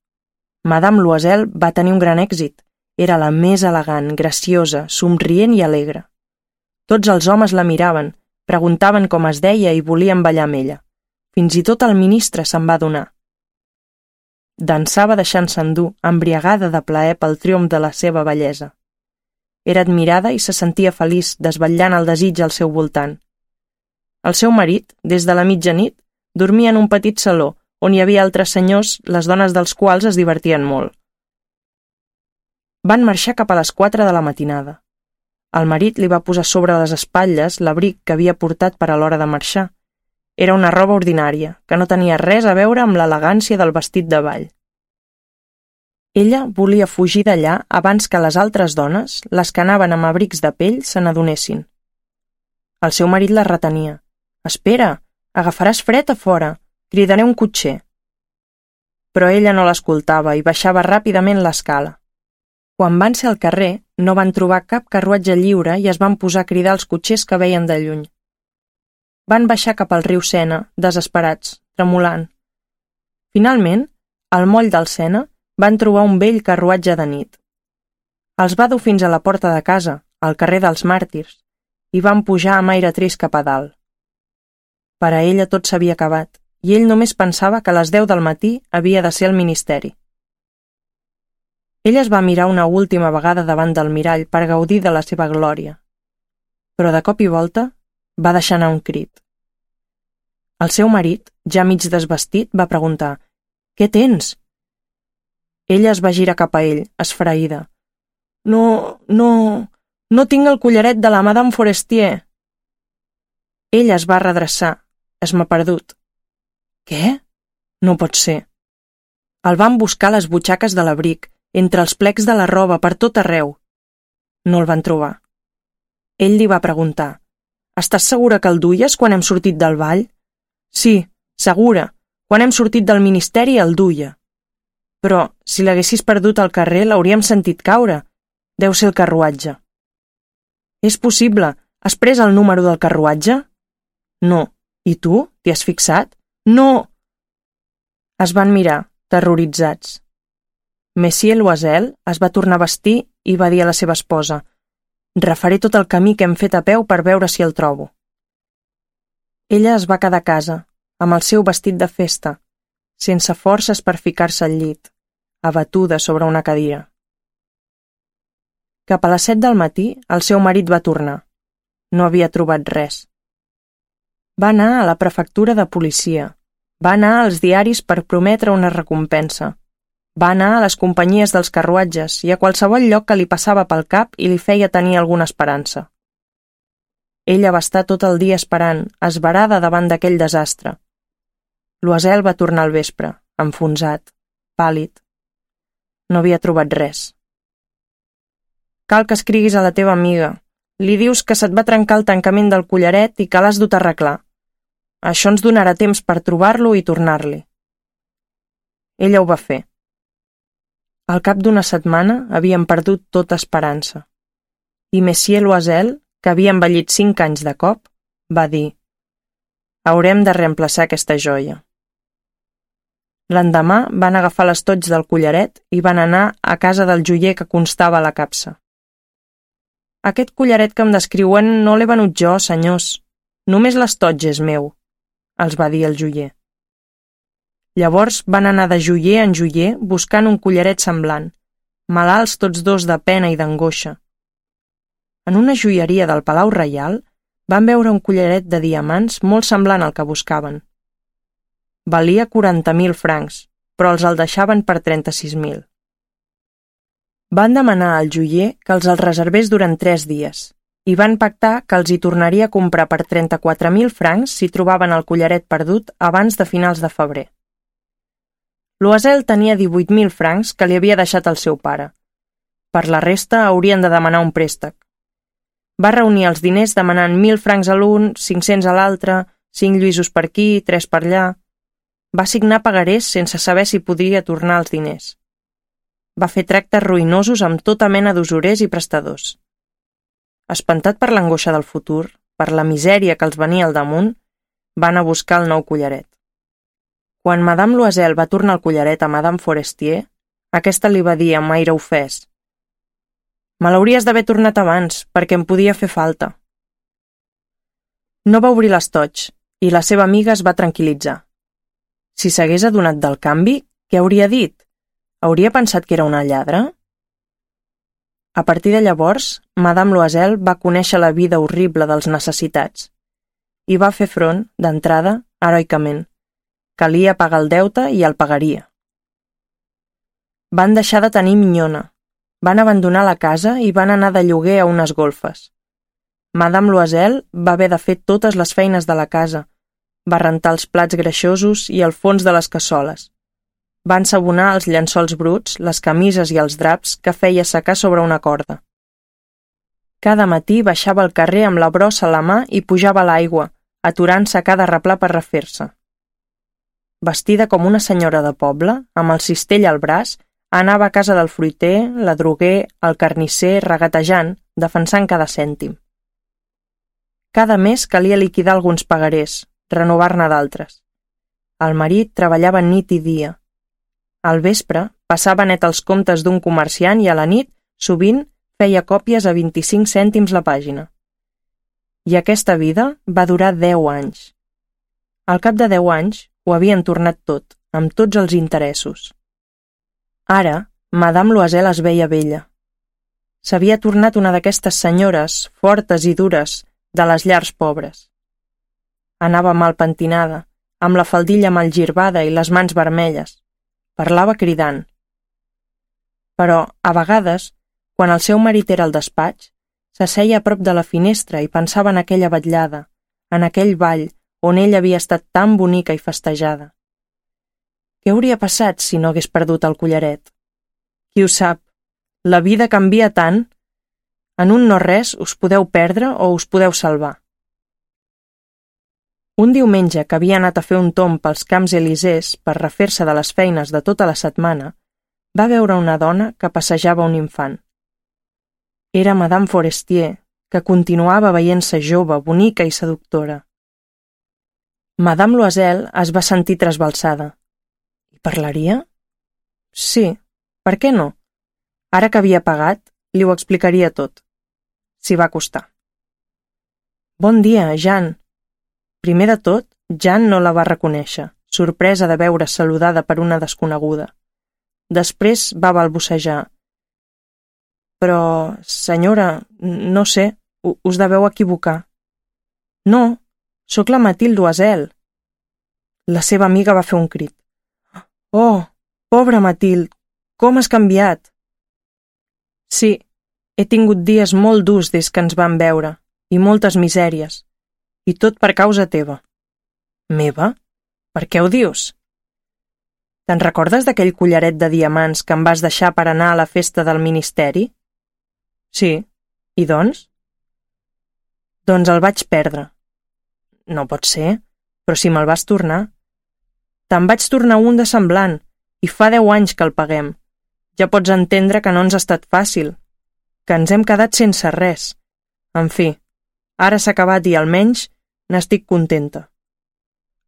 Madame Loisel va tenir un gran èxit. Era la més elegant, graciosa, somrient i alegre. Tots els homes la miraven, preguntaven com es deia i volien ballar amb ella. Fins i tot el ministre se'n va adonar. Dansava deixant-se endur, embriagada de plaer pel triomf de la seva bellesa. Era admirada i se sentia feliç, desvetllant el desig al seu voltant. El seu marit, des de la mitjanit, dormia en un petit saló, on hi havia altres senyors, les dones dels quals es divertien molt. Van marxar cap a les quatre de la matinada. El marit li va posar sobre les espatlles l'abric que havia portat per a l'hora de marxar. Era una roba ordinària, que no tenia res a veure amb l'elegància del vestit de ball. Ella volia fugir d'allà abans que les altres dones, les que anaven amb abrics de pell, se n'adonessin. El seu marit la retenia. «Espera, agafaràs fred a fora. Cridaré un cotxer». Però ella no l'escoltava i baixava ràpidament l'escala. Quan van ser al carrer, no van trobar cap carruatge lliure i es van posar a cridar els cotxers que veien de lluny. Van baixar cap al riu Sena, desesperats, tremolant. Finalment, al moll del Sena, van trobar un vell carruatge de nit. Els va dur fins a la porta de casa, al carrer dels Màrtirs, i van pujar amb aire trist cap a dalt. Per a ella tot s'havia acabat, i ell només pensava que a les deu del matí havia de ser al ministeri. Ell es va mirar una última vegada davant del mirall per gaudir de la seva glòria, però de cop i volta va deixar anar un crit. El seu marit, ja mig desvestit, va preguntar: «Què tens?» Ella es va girar cap a ell, esfereïda. «No, no, no tinc el collaret de la Madame Forestier». Ella es va redreçar, esmaperdut. «Què? No pot ser». El van buscar a les butxaques de l'abric, entre els plecs de la roba, per tot arreu. No el van trobar. Ell li va preguntar: «Estàs segura que el duies quan hem sortit del ball?» «Sí, segura. Quan hem sortit del ministeri el duia. Però, si l'haguessis perdut al carrer, l'hauríem sentit caure. Deu ser el carruatge». «És possible. Has pres el número del carruatge?» «No. I tu? T'hi has fixat?» «No!» Es van mirar, terroritzats. Monsieur Loisel es va tornar a vestir i va dir a la seva esposa: «Refaré tot el camí que hem fet a peu per veure si el trobo». Ella es va quedar a casa, amb el seu vestit de festa, sense forces per ficar-se al llit, abatuda sobre una cadira. Cap a les set del matí, el seu marit va tornar. No havia trobat res. Va anar a la prefectura de policia, va anar als diaris per prometre una recompensa, va anar a les companyies dels carruatges i a qualsevol lloc que li passava pel cap i li feia tenir alguna esperança. Ella va estar tot el dia esperant, esverada davant d'aquell desastre. Loisel va tornar al vespre, enfonsat, pàl·lid. No havia trobat res. «Cal que escriguis a la teva amiga. Li dius que se't va trencar el tancament del collaret i que l'has dut a arreglar. Això ens donarà temps per trobar-lo i tornar-li». Ella ho va fer. Al cap d'una setmana havien perdut tota esperança. I Monsieur Loisel, que havia envellit cinc anys de cop, va dir: «Haurem de reemplaçar aquesta joia». L'endemà van agafar l'estoig del collaret i van anar a casa del joier que constava a la capsa. «Aquest collaret que em descriuen no l'he venut jo, senyors. Només l'estoig és meu», els va dir el joier. Llavors van anar de joier en joier buscant un collaret semblant, malalts tots dos de pena i d'angoixa. En una joieria del Palau Reial van veure un collaret de diamants molt semblant al que buscaven. Valia quaranta mil francs, però els el deixaven per trenta-sis mil. Van demanar al joier que els el reservés durant tres dies i van pactar que els hi tornaria a comprar per trenta-quatre mil francs si trobaven el collaret perdut abans de finals de febrer. Loisel tenia divuit mil francs que li havia deixat el seu pare. Per la resta haurien de demanar un préstec. Va reunir els diners demanant mil francs a l'un, cinc-cents a l'altre, cinc lluïsos per aquí, tres per allà. Va signar pagarés sense saber si podria tornar els diners. Va fer tractes ruïnosos amb tota mena d'usurers i prestadors. Espantat per l'angoixa del futur, per la misèria que els venia al damunt, van a buscar el nou collaret. Quan Madame Loisel va tornar el collaret a Madame Forestier, aquesta li va dir amb aire ofès: «Me l'hauries d'haver tornat abans, perquè em podia fer falta». No va obrir l'estoig, i la seva amiga es va tranquil·litzar. Si s'hagués adonat del canvi, què hauria dit? Hauria pensat que era una lladra? A partir de llavors, Madame Loisel va conèixer la vida horrible dels necessitats i va fer front, d'entrada, heroicament. Calia pagar el deute i el pagaria. Van deixar de tenir minyona, van abandonar la casa i van anar de lloguer a unes golfes. Madame Loisel va haver de fer totes les feines de la casa, va rentar els plats greixosos i el fons de les cassoles. Va ensabonar els llençols bruts, les camises i els draps que feia secar sobre una corda. Cada matí baixava al carrer amb la brossa a la mà i pujava a l'aigua, aturant-se a cada replà per refer-se. Vestida com una senyora de poble, amb el cistell al braç, anava a casa del fruiter, l'adroguer, el carnisser, regatejant, defensant cada cèntim. Cada mes calia liquidar alguns pagarers, renovar-ne d'altres. El marit treballava nit i dia. Al vespre passava net els comptes d'un comerciant i a la nit Sovint feia còpies a vint-i-cinc cèntims la pàgina. I aquesta vida va durar deu anys. Al cap de deu anys ho havien tornat tot, amb tots els interessos. Ara, Madame Loisel es veia vella. S'havia tornat una d'aquestes senyores fortes i dures de les llars pobres. Anava mal pentinada, amb la faldilla mal girbada i les mans vermelles. Parlava cridant. Però, a vegades, quan el seu marit era al despatx, s'asseia a prop de la finestra i pensava en aquella vetllada, en aquell ball on ella havia estat tan bonica i festejada. Què hauria passat si no hagués perdut el collaret? Qui ho sap? La vida canvia tant. En un no res us podeu perdre o us podeu salvar. Un diumenge que havia anat a fer un tomb pels Camps Elísees per refer-se de les feines de tota la setmana, va veure una dona que passejava un infant. Era Madame Forestier, que continuava veient-se jove, bonica i seductora. Madame Loisel es va sentir trasbalsada. I parlaria? Sí, per què no? Ara que havia pagat, li ho explicaria tot. S'hi va acostar. Bon dia, Jeanne. Primer de tot, Jeanne no la va reconèixer, sorpresa de veure saludada per una desconeguda. Després va balbucejar. Però, senyora, no sé, us deveu equivocar. No, sóc la Mathilde Loisel. La seva amiga va fer un crit. Oh, pobra Mathilde, com has canviat? Sí, he tingut dies molt durs des que ens vam veure, i moltes misèries, i tot per causa teva. Meva? Per què ho dius? Te'n recordes d'aquell collaret de diamants que em vas deixar per anar a la festa del ministeri? Sí, i doncs? Doncs el vaig perdre. No pot ser, però si me'l vas tornar. Te'n vaig tornar un de semblant, i fa deu anys que el paguem. Ja pots entendre que no ens ha estat fàcil, que ens hem quedat sense res. En fi, ara s'ha acabat i almenys n'estic contenta.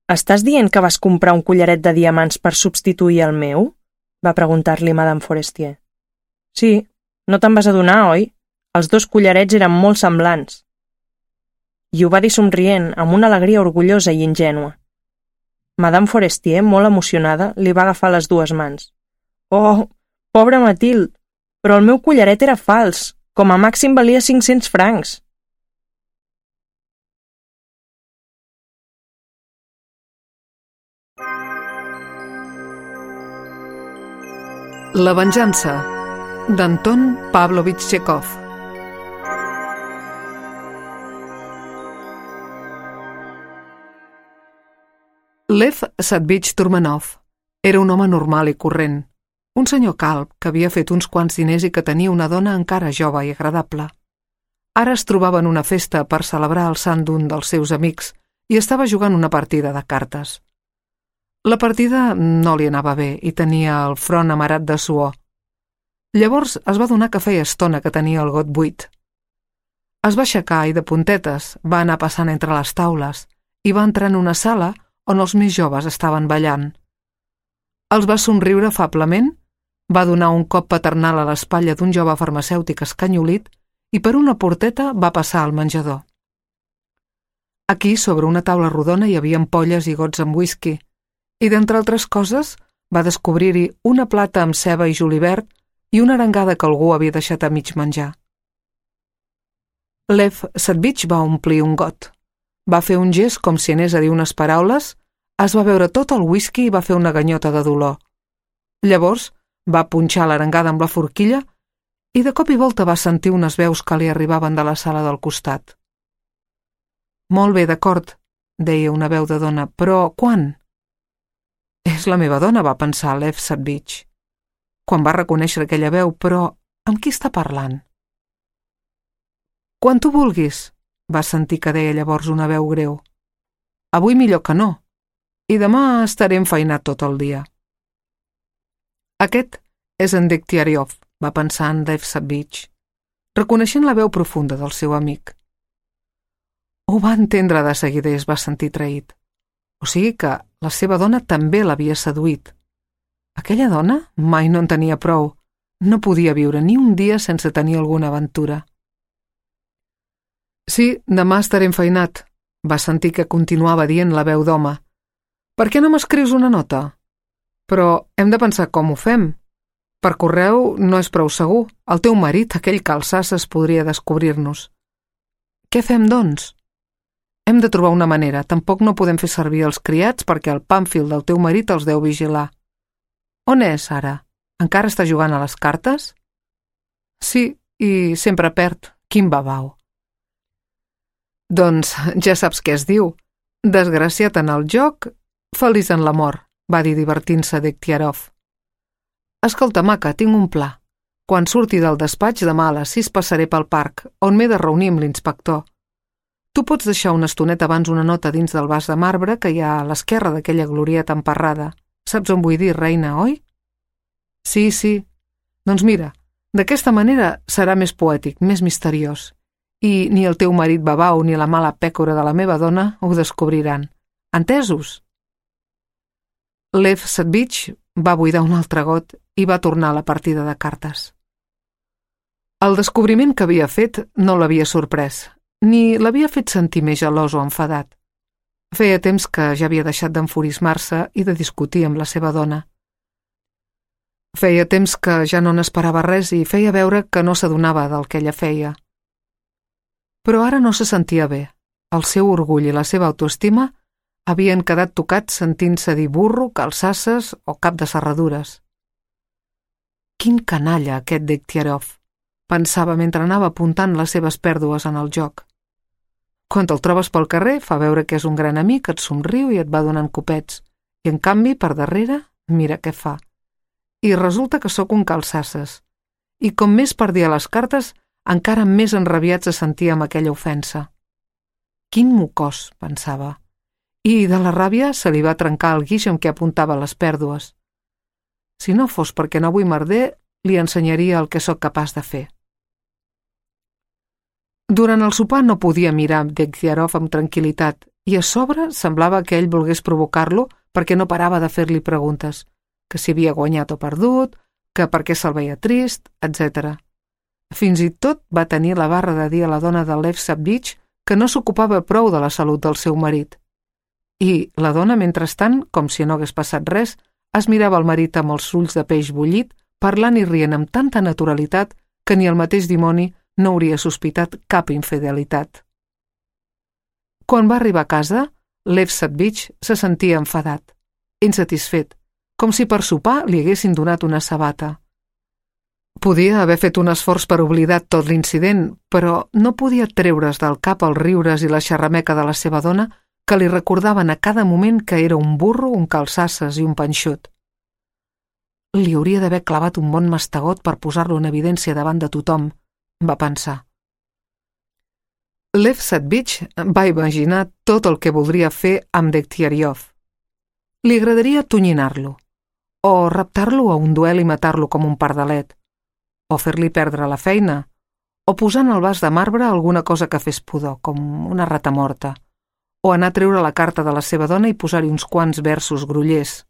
Estàs dient que vas comprar un collaret de diamants per substituir el meu? Va preguntar-li Madame Forestier. Sí, no te'n vas adonar, oi? Els dos collarets eren molt semblants. I ho va dir somrient, amb una alegria orgullosa i ingènua. Madame Forestier, molt emocionada, li va agafar les dues mans. Oh, pobra Mathilde, però el meu collaret era fals, com a màxim valia cinc-cents francs. La venjança, d'Anton Pavlovich Txékhov. Lev Satvich Turmanov era un home normal i corrent, un senyor calb que havia fet uns quants diners i que tenia una dona encara jove i agradable. Ara es trobava en una festa per celebrar el sant d'un dels seus amics i estava jugant una partida de cartes. La partida no li anava bé i tenia el front amarat de suor. Llavors es va adonar que feia estona que tenia el got buit. Es va aixecar i de puntetes va anar passant entre les taules i va entrar en una sala on els més joves estaven ballant. Els va somriure afablement, va donar un cop paternal a l'espatlla d'un jove farmacèutic escanyolit i per una porteta va passar al menjador. Aquí, sobre una taula rodona, hi havia ampolles i gots amb whisky, i d'entre altres coses va descobrir-hi una plata amb ceba i julivert i una arengada que algú havia deixat a mig menjar. Lev Satvich va omplir un got. Va fer un gest com si anés a dir unes paraules, es va beure tot el whisky i va fer una ganyota de dolor. Llavors va punxar l'arengada amb la forquilla i de cop i volta va sentir unes veus que li arribaven de la sala del costat. Molt bé, d'acord, deia una veu de dona, però quan? És la meva dona, va pensar Lev Satvich. Quan va reconèixer aquella veu, però amb qui està parlant? Quan tu vulguis, va sentir que deia llavors una veu greu. Avui millor que no, i demà estaré enfeinat tot el dia. Aquest és en Degtyaryov, va pensar en Lev Satvich, reconeixent la veu profunda del seu amic. Ho va entendre de seguida i es va sentir traït. O sigui que la seva dona també l'havia seduït. Aquella dona mai no en tenia prou. No podia viure ni un dia sense tenir alguna aventura. Sí, demà estaré enfeinat, va sentir que continuava dient la veu d'home. Per què no m'escrius una nota? Però hem de pensar com ho fem. Per correu no és prou segur. El teu marit, aquell calçasses, podria descobrir-nos. Què fem, doncs? Hem de trobar una manera. Tampoc no podem fer servir els criats perquè el pàmfil del teu marit els deu vigilar. On és, ara? Encara està jugant a les cartes? Sí, i sempre perd. Quin babau. Doncs ja saps què es diu. Desgraciat en el joc, feliç en l'amor, va dir divertint-se Degtyaryov. Escolta, maca, tinc un pla. Quan surti del despatx demà a les sis passaré pel parc, on m'he de reunir amb l'inspector. Tu pots deixar una estoneta abans una nota dins del vas de marbre que hi ha a l'esquerra d'aquella glorieta emparrada. Saps on vull dir, reina, oi? Sí, sí. Doncs mira, d'aquesta manera serà més poètic, més misteriós. I ni el teu marit babau ni la mala pècora de la meva dona ho descobriran. Entesos? Lev Satvich va buidar un altre got i va tornar a la partida de cartes. El descobriment que havia fet no l'havia sorprès, ni l'havia fet sentir més gelós o enfadat. Feia temps que ja havia deixat d'enfurismar-se i de discutir amb la seva dona. Feia temps que ja no n'esperava res i feia veure que no s'adonava del que ella feia. Però ara no se sentia bé. El seu orgull i la seva autoestima havien quedat tocats sentint-se dir burro, calçasses o cap de serradures. Quin canalla, aquest Degtyaryov, pensava mentre anava apuntant les seves pèrdues en el joc. Quan te'l trobes pel carrer, fa veure que és un gran amic, et somriu i et va donant copets, i en canvi, per darrere, mira què fa. I resulta que sóc un calçasses. I com més perdia les cartes, encara més enrabiat se sentia amb aquella ofensa. Quin mocós, pensava. I de la ràbia se li va trencar el guix amb què apuntava les pèrdues. Si no fos perquè no vull merder, li ensenyaria el que sóc capaç de fer. Durant el sopar no podia mirar Degtyaryov amb tranquil·litat i a sobre semblava que ell volgués provocar-lo perquè no parava de fer-li preguntes, que si havia guanyat o perdut, que per què se'l veia trist, etcètera. Fins i tot va tenir la barra de dir a la dona de Lev Satvich que no s'ocupava prou de la salut del seu marit. I la dona, mentrestant, com si no hagués passat res, es mirava el marit amb els ulls de peix bullit, parlant i rient amb tanta naturalitat que ni el mateix dimoni no hauria sospitat cap infidelitat. Quan va arribar a casa, Lev Satvich se sentia enfadat, insatisfet, com si per sopar li haguessin donat una sabata. Podia haver fet un esforç per oblidar tot l'incident, però no podia treure's del cap els riures i la xerrameca de la seva dona que li recordaven a cada moment que era un burro, un calçasses i un panxut. Li hauria d'haver clavat un bon mastegot per posar-lo en evidència davant de tothom, va pensar. Lev Satvich va imaginar tot el que voldria fer amb Degtyaryov. Li agradaria tonyinar-lo, o raptar-lo a un duel i matar-lo com un pardalet, o fer-li perdre la feina, o posar en el vas de marbre alguna cosa que fes pudor, com una rata morta, o anar a treure la carta de la seva dona i posar-hi uns quants versos grollers.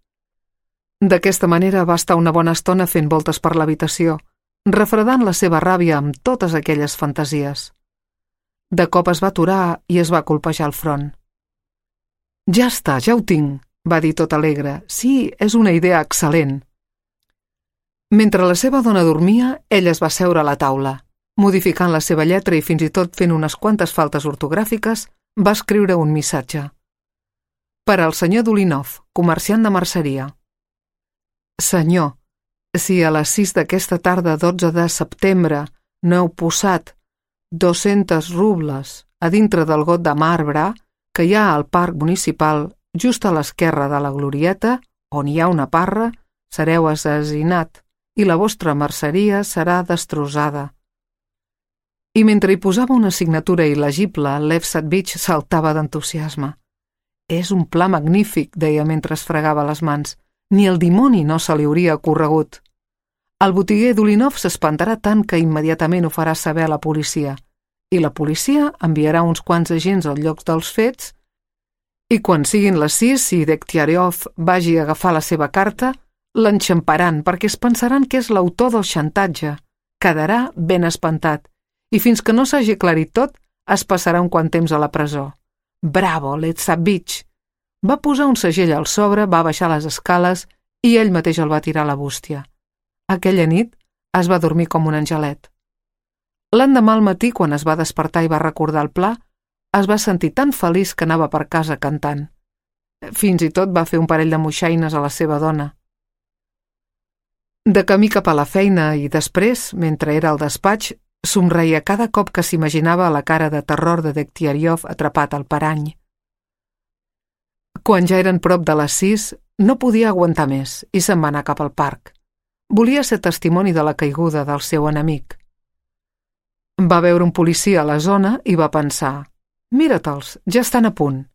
D'aquesta manera va estar una bona estona fent voltes per l'habitació, refredant la seva ràbia amb totes aquelles fantasies. De cop es va aturar i es va colpejar el front. «Ja està, ja ho tinc», va dir tot alegre. «Sí, és una idea excel·lent». Mentre la seva dona dormia, ell es va seure a la taula. Modificant la seva lletra i fins i tot fent unes quantes faltes ortogràfiques, va escriure un missatge. Per al senyor Dulinov, comerciant de merceria. Senyor, si a les sis d'aquesta tarda dotze de setembre no heu posat dos-cents rubles a dintre del got de marbre que hi ha al parc municipal just a l'esquerra de la glorieta, on hi ha una parra, sereu assassinat i la vostra merceria serà destrossada. I mentre hi posava una signatura il·legible, Lev Satvich saltava d'entusiasme. És un pla magnífic, deia mentre es fregava les mans. Ni el dimoni no se li hauria ocorregut. El botiguer Dulinov s'espantarà tant que immediatament ho farà saber a la policia, i la policia enviarà uns quants agents al lloc dels fets, i quan siguin les sis i Degtyaryov vagi a agafar la seva carta, l'enxamparan perquè es pensaran que és l'autor del xantatge. Quedarà ben espantat i fins que no s'hagi aclarit tot es passarà un quant temps a la presó. Bravo, Letsabich! Va posar un segell al sobre, va baixar les escales i ell mateix el va tirar a la bústia. Aquella nit es va dormir com un angelet. L'endemà al matí, quan es va despertar i va recordar el pla, es va sentir tan feliç que anava per casa cantant. Fins i tot va fer un parell de moixaines a la seva dona. De camí cap a la feina i després, mentre era al despatx, somreia cada cop que s'imaginava la cara de terror de Degtyaryov atrapat al parany. Quan ja eren prop de les sis, no podia aguantar més i se'n va anar cap al parc. Volia ser testimoni de la caiguda del seu enemic. Va veure un policia a la zona i va pensar: «Mira-te'ls, ja estan a punt».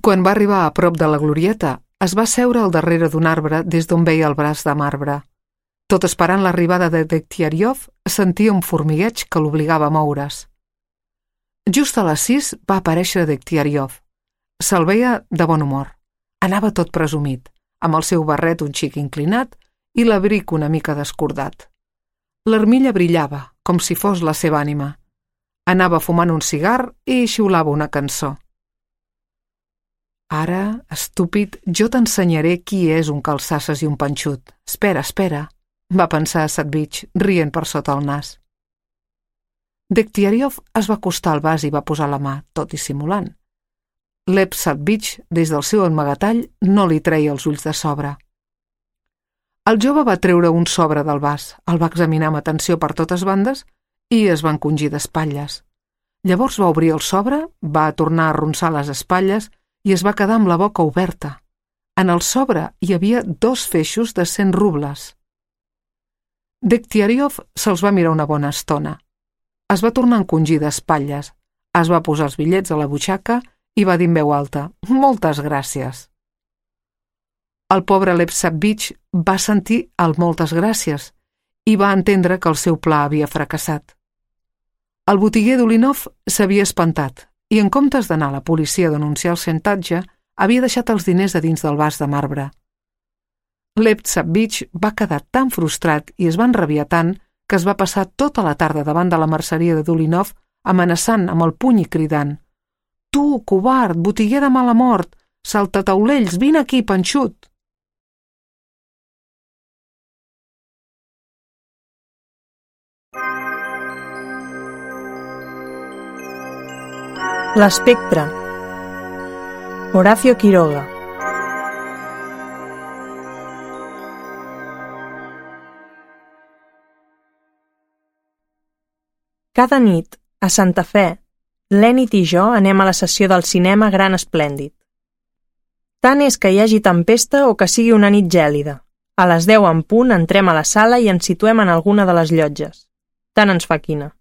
Quan va arribar a prop de la glorieta, es va seure al darrere d'un arbre des d'on veia el braç de marbre. Tot esperant l'arribada de Degtyaryov, sentia un formigueig que l'obligava a moure's. Just a les sis va aparèixer Degtyaryov. Se'l veia de bon humor. Anava tot presumit, amb el seu barret un xic inclinat i l'abric una mica descordat. L'armilla brillava, com si fos la seva ànima. Anava fumant un cigar i xiulava una cançó. «Ara, estúpid, jo t'ensenyaré qui és un calçasses i un panxut. Espera, espera», va pensar Savvitch, rient per sota el nas. Degtyaryov es va acostar al vas i va posar la mà, tot dissimulant. Lev Savvitch, des del seu amagatall, no li treia els ulls de sobre. El jove va treure un sobre del vas, el va examinar amb atenció per totes bandes i es va encongir d'espatlles. Llavors va obrir el sobre, va tornar a arronsar les espatlles i es va quedar amb la boca oberta. En el sobre hi havia dos feixos de cent rubles. Degtyaryov se'ls va mirar una bona estona. Es va tornar a encongir d'espatlles, es va posar els bitllets a la butxaca i va dir en veu alta: «Moltes gràcies». El pobre Lev Savvitch va sentir el «moltes gràcies» i va entendre que el seu pla havia fracassat. El botiguer d'Ulinov s'havia espantat i, en comptes d'anar a la policia a denunciar el xantatge, havia deixat els diners a dins del vas de marbre. Lev Savvitch va quedar tan frustrat i es va enrabiar tant que es va passar tota la tarda davant de la merceria de Dulinov amenaçant amb el puny i cridant: «Tu, covard, botiguer de mala mort, saltataulells, vine aquí, panxut!» L'espectre. Horacio Quiroga. Cada nit, a Santa Fe, l'Enid i jo anem a la sessió del cinema Gran Esplèndid. Tant és que hi hagi tempesta o que sigui una nit gèlida. A les deu en punt entrem a la sala i ens situem en alguna de les llotges. Tant ens fa quina.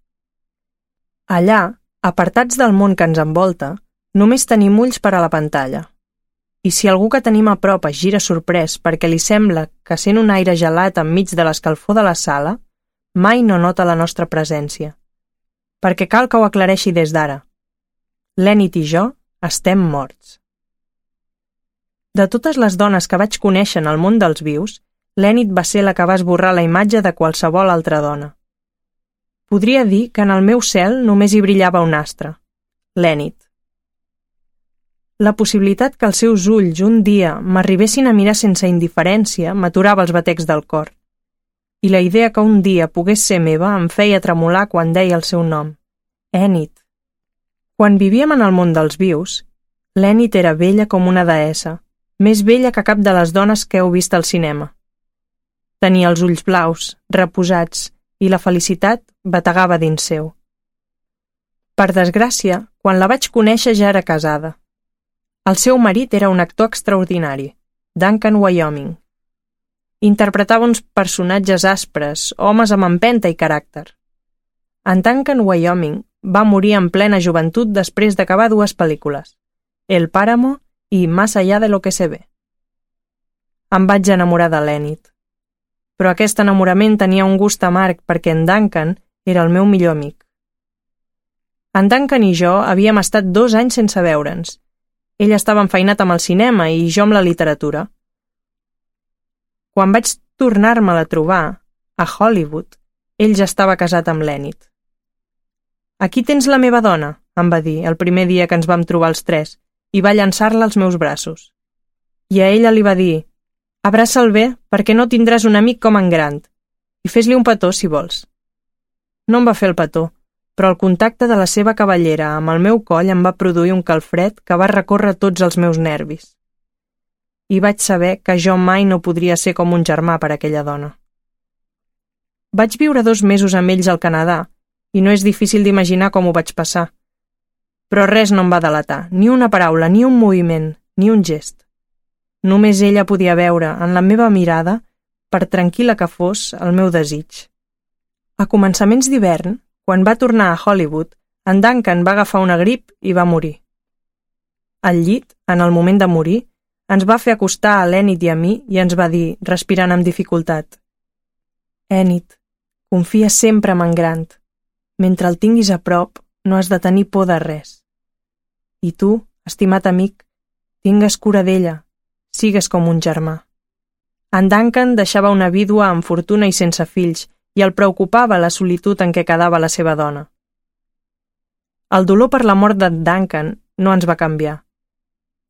Allà, apartats del món que ens envolta, només tenim ulls per a la pantalla. I si algú que tenim a prop es gira sorprès perquè li sembla que sent un aire gelat enmig de l'escalfor de la sala, mai no nota la nostra presència. Perquè cal que ho aclareixi des d'ara. L'Enid i jo estem morts. De totes les dones que vaig conèixer en el món dels vius, l'Enid va ser la que va esborrar la imatge de qualsevol altra dona. Podria dir que en el meu cel només hi brillava un astre, l'Enid. La possibilitat que els seus ulls un dia m'arribessin a mirar sense indiferència m'aturava els batecs del cor. I la idea que un dia pogués ser meva em feia tremolar quan deia el seu nom, Enid. Quan vivíem en el món dels vius, l'Enid era bella com una deessa, més bella que cap de les dones que heu vist al cinema. Tenia els ulls blaus, reposats, i la felicitat bategava dins seu. Per desgràcia, quan la vaig conèixer ja era casada. El seu marit era un actor extraordinari, Duncan Wyoming. Interpretava uns personatges aspres, homes amb empenta i caràcter. En Duncan Wyoming va morir en plena joventut després d'acabar dues pel·lícules, El Páramo i Más allá de lo que se ve. Em vaig enamorar de l'Enid. Però aquest enamorament tenia un gust amarg perquè en Duncan era el meu millor amic. En Duncan i jo havíem estat dos anys sense veure'ns. Ell estava enfeinat amb el cinema i jo amb la literatura. Quan vaig tornar-me'l a trobar, a Hollywood, ell ja estava casat amb l'Enid. «Aquí tens la meva dona», em va dir el primer dia que ens vam trobar els tres, i va llançar-la als meus braços. I a ella li va dir: «Abraça'l bé, perquè no tindràs un amic com en Grant, i fes-li un petó si vols». No em va fer el petó, però el contacte de la seva cabellera amb el meu coll em va produir un calfred que va recórrer tots els meus nervis. I vaig saber que jo mai no podria ser com un germà per a aquella dona. Vaig viure dos mesos amb ells al Canadà, i no és difícil d'imaginar com ho vaig passar. Però res no em va delatar, ni una paraula, ni un moviment, ni un gest. Només ella podia veure en la meva mirada, per tranquil·la que fos, el meu desig. A començaments d'hivern, quan va tornar a Hollywood, en Duncan va agafar una grip i va morir. Al llit, en el moment de morir, ens va fer acostar a l'Enid i a mi i ens va dir, respirant amb dificultat: «Enid, confia sempre en en Grant. Mentre el tinguis a prop, no has de tenir por de res. I tu, estimat amic, tingues cura d'ella, sigues com un germà». En Duncan deixava una vídua amb fortuna i sense fills, i el preocupava la solitud en què quedava la seva dona. El dolor per la mort d'en Duncan no ens va canviar.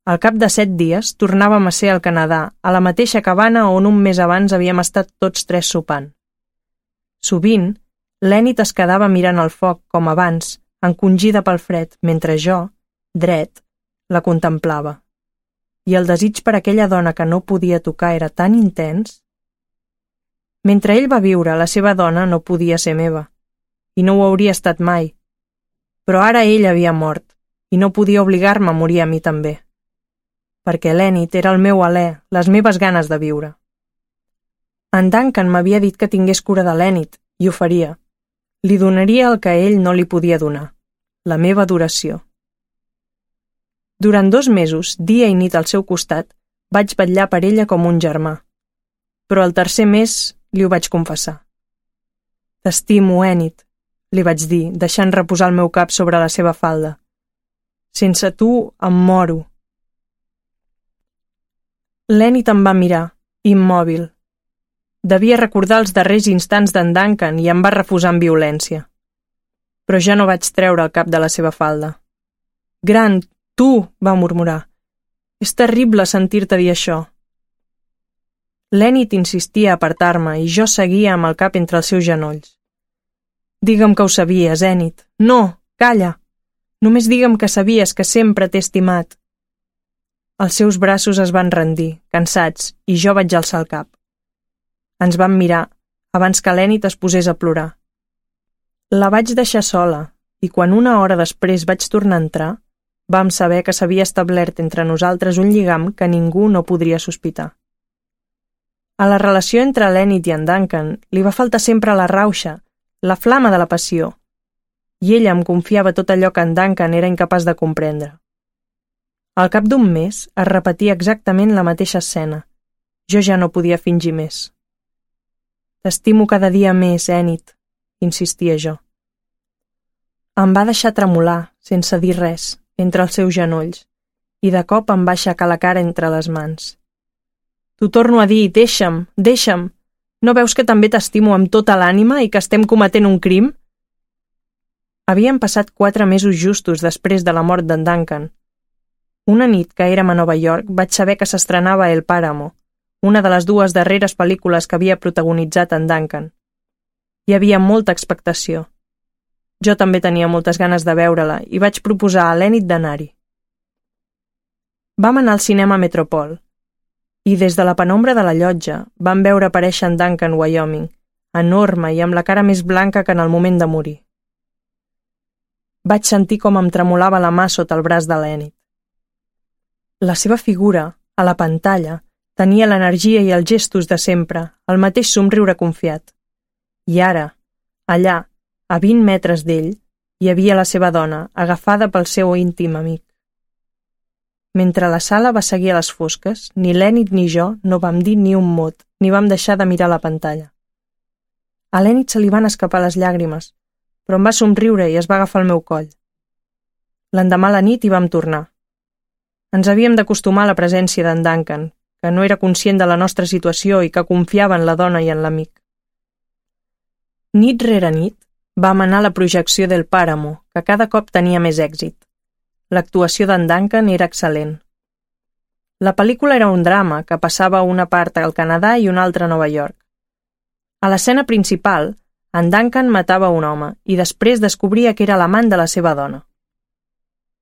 Al cap de set dies tornàvem a ser al Canadà, a la mateixa cabana on un mes abans havíem estat tots tres sopant. Sovint, l'Enid es quedava mirant el foc, com abans, encongida pel fred, mentre jo, dret, la contemplava. I el desig per aquella dona que no podia tocar era tan intens. Mentre ell va viure, la seva dona no podia ser meva, i no ho hauria estat mai. Però ara ell havia mort, i no podia obligar-me a morir a mi també. Perquè l'Enid era el meu alè, les meves ganes de viure. En Duncan m'havia dit que tingués cura de l'Enid, i ho faria. Li donaria el que ell no li podia donar, la meva adoració. Durant dos mesos, dia i nit al seu costat, vaig vetllar per ella com un germà. Però el tercer mes li ho vaig confessar. «T'estimo, Enid», li vaig dir, deixant reposar el meu cap sobre la seva falda. «Sense tu em moro». L'Enid em va mirar, immòbil. Devia recordar els darrers instants d'en Duncan i em va refusar amb violència. Però jo no vaig treure el cap de la seva falda. «Grant, tu», va murmurar. «És terrible sentir-te dir això». L'Enid insistia a apartar-me i jo seguia amb el cap entre els seus genolls. «Digue'm que ho sabies, Enid. No, calla. Només digue'm que sabies que sempre t'he estimat». Els seus braços es van rendir, cansats, i jo vaig alçar el cap. Ens vam mirar, abans que l'Enid es posés a plorar. La vaig deixar sola, i quan una hora després vaig tornar a entrar, vam saber que s'havia establert entre nosaltres un lligam que ningú no podria sospitar. A la relació entre l'Enid i en Duncan li va faltar sempre la rauxa, la flama de la passió, i ella em confiava tot allò que en Duncan era incapaç de comprendre. Al cap d'un mes es repetia exactament la mateixa escena. Jo ja no podia fingir més. «T'estimo cada dia més, Enid», insistia jo. Em va deixar tremolar, sense dir res, entre els seus genolls, i de cop em va aixecar la cara entre les mans. «T'ho torno a dir, deixa'm, deixa'm. No veus que també t'estimo amb tota l'ànima i que estem cometent un crim?» Havien passat quatre mesos justos després de la mort d'en Duncan. Una nit que érem a Nova York vaig saber que s'estrenava El Páramo, una de les dues darreres pel·lícules que havia protagonitzat en Duncan. Hi havia molta expectació. Jo també tenia moltes ganes de veure-la i vaig proposar a l'Enid d'anar-hi. Vam anar al cinema Metropol, i des de la penombra de la llotja vam veure aparèixer en Duncan, Wyoming, enorme i amb la cara més blanca que en el moment de morir. Vaig sentir com em tremolava la mà sota el braç de l'Enid. La seva figura, a la pantalla, tenia l'energia i els gestos de sempre, el mateix somriure confiat. I ara, allà, a vint metres d'ell, hi havia la seva dona, agafada pel seu íntim amic. Mentre la sala va seguir a les fosques, ni l'Enid ni jo no vam dir ni un mot, ni vam deixar de mirar la pantalla. A l'Enid se li van escapar les llàgrimes, però em va somriure i es va agafar el meu coll. L'endemà a la nit hi vam tornar. Ens havíem d'acostumar a la presència d'en Duncan, que no era conscient de la nostra situació i que confiava en la dona i en l'amic. Nit rere nit va manar la projecció del Pàramo, que cada cop tenia més èxit. L'actuació d'en Duncan era excel·lent. La pel·lícula era un drama que passava una part al Canadà i una altra a Nova York. A l'escena principal, en Duncan matava un home i després descobria que era l'amant de la seva dona.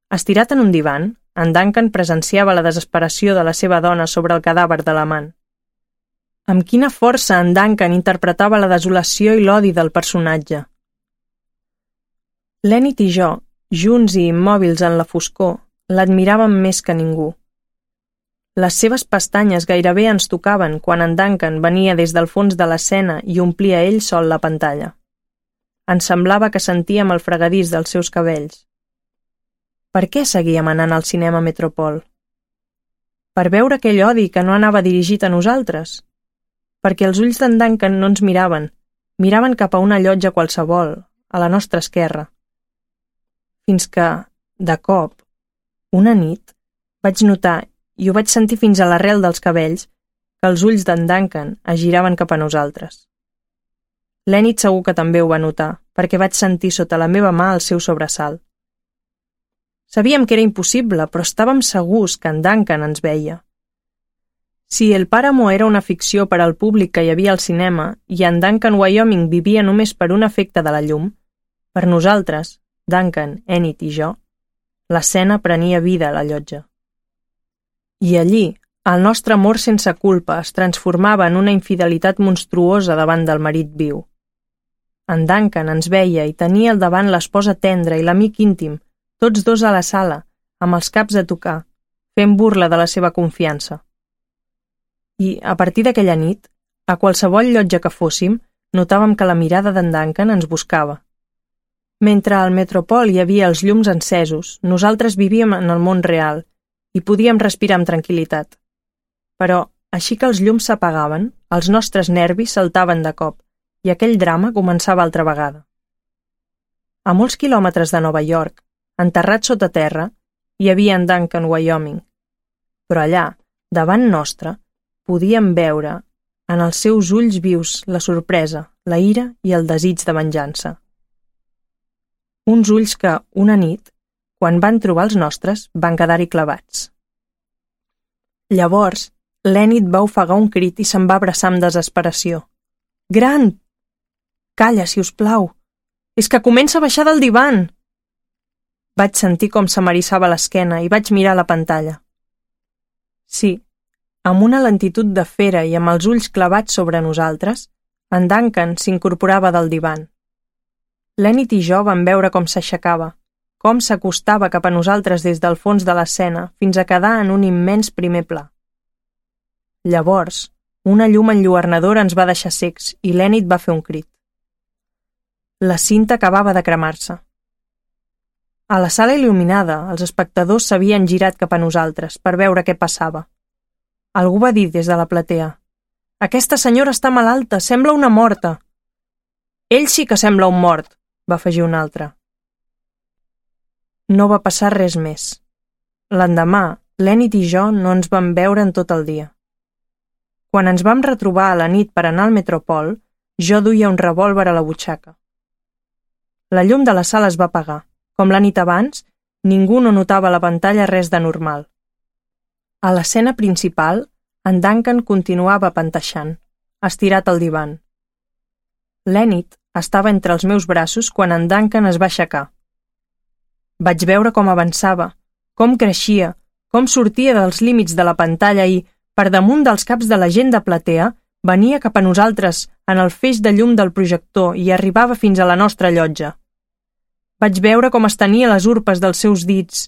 Estirat en un divan, en Duncan presenciava la desesperació de la seva dona sobre el cadàver de l'amant. Amb quina força en Duncan interpretava la desolació i l'odi del personatge. L'Enid i jo, junts i immòbils en la foscor, l'admiràvem més que ningú. Les seves pestanyes gairebé ens tocaven quan en Duncan venia des del fons de l'escena i omplia ell sol la pantalla. Ens semblava que sentíem el fregadís dels seus cabells. Per què seguíem anant al cinema Metropol? Per veure aquell odi que no anava dirigit a nosaltres? Perquè els ulls d'en Duncan no ens miraven, miraven cap a una llotja qualsevol, a la nostra esquerra. Fins que, de cop, una nit, vaig notar, i ho vaig sentir fins a l'arrel dels cabells, que els ulls d'en Duncan es giraven cap a nosaltres. L'Enid segur que també ho va notar, perquè vaig sentir sota la meva mà el seu sobresalt. Sabíem que era impossible, però estàvem segurs que en Duncan ens veia. Si el Pàramo era una ficció per al públic que hi havia al cinema i en Duncan, Wyoming, vivia només per un efecte de la llum, per nosaltres, Duncan, Enid i jo, l'escena prenia vida a la llotja. I allí, el nostre amor sense culpa es transformava en una infidelitat monstruosa davant del marit viu. En Duncan ens veia i tenia al davant l'esposa tendra i l'amic íntim, tots dos a la sala, amb els caps a tocar, fent burla de la seva confiança. I, a partir d'aquella nit, a qualsevol llotja que fóssim, notàvem que la mirada d'en Duncan ens buscava. Mentre al Metropol hi havia els llums encesos, nosaltres vivíem en el món real i podíem respirar amb tranquil·litat. Però, així que els llums s'apagaven, els nostres nervis saltaven de cop i aquell drama començava altra vegada. A molts quilòmetres de Nova York, enterrat sota terra, hi havia en Duncan, Wyoming. Però allà, davant nostre, podíem veure en els seus ulls vius la sorpresa, la ira i el desig de venjança. Uns ulls que, una nit, quan van trobar els nostres, van quedar-hi clavats. Llavors, l'Enid va ofegar un crit i se'n va abraçar amb desesperació. «Grant! Calla, si us plau! És que comença a baixar del divan!» Vaig sentir com se m'eriçava l'esquena i vaig mirar la pantalla. Sí, amb una lentitud de fera i amb els ulls clavats sobre nosaltres, en Duncan s'incorporava del divan. L'Enid i jo vam veure com s'aixecava, com s'acostava cap a nosaltres des del fons de l'escena fins a quedar en un immens primer pla. Llavors, una llum enlluernadora ens va deixar secs i l'Enid va fer un crit. La cinta acabava de cremar-se. A la sala il·luminada, els espectadors s'havien girat cap a nosaltres per veure què passava. Algú va dir des de la platea: «Aquesta senyora està malalta, sembla una morta». «Ell sí que sembla un mort», va afegir un altre. No va passar res més. L'endemà, l'Enid i jo no ens vam veure en tot el dia. Quan ens vam retrobar a la nit per anar al Metropol, jo duia un revòlver a la butxaca. La llum de la sala es va apagar. Com la nit abans, ningú no notava a la pantalla res de normal. A l'escena principal, en Duncan continuava panteixant, estirat al divan. L'Enid estava entre els meus braços quan en Duncan es va aixecar. Vaig veure com avançava, com creixia, com sortia dels límits de la pantalla i, per damunt dels caps de la gent de platea, venia cap a nosaltres en el feix de llum del projector i arribava fins a la nostra llotja. Vaig veure com estenia les urpes dels seus dits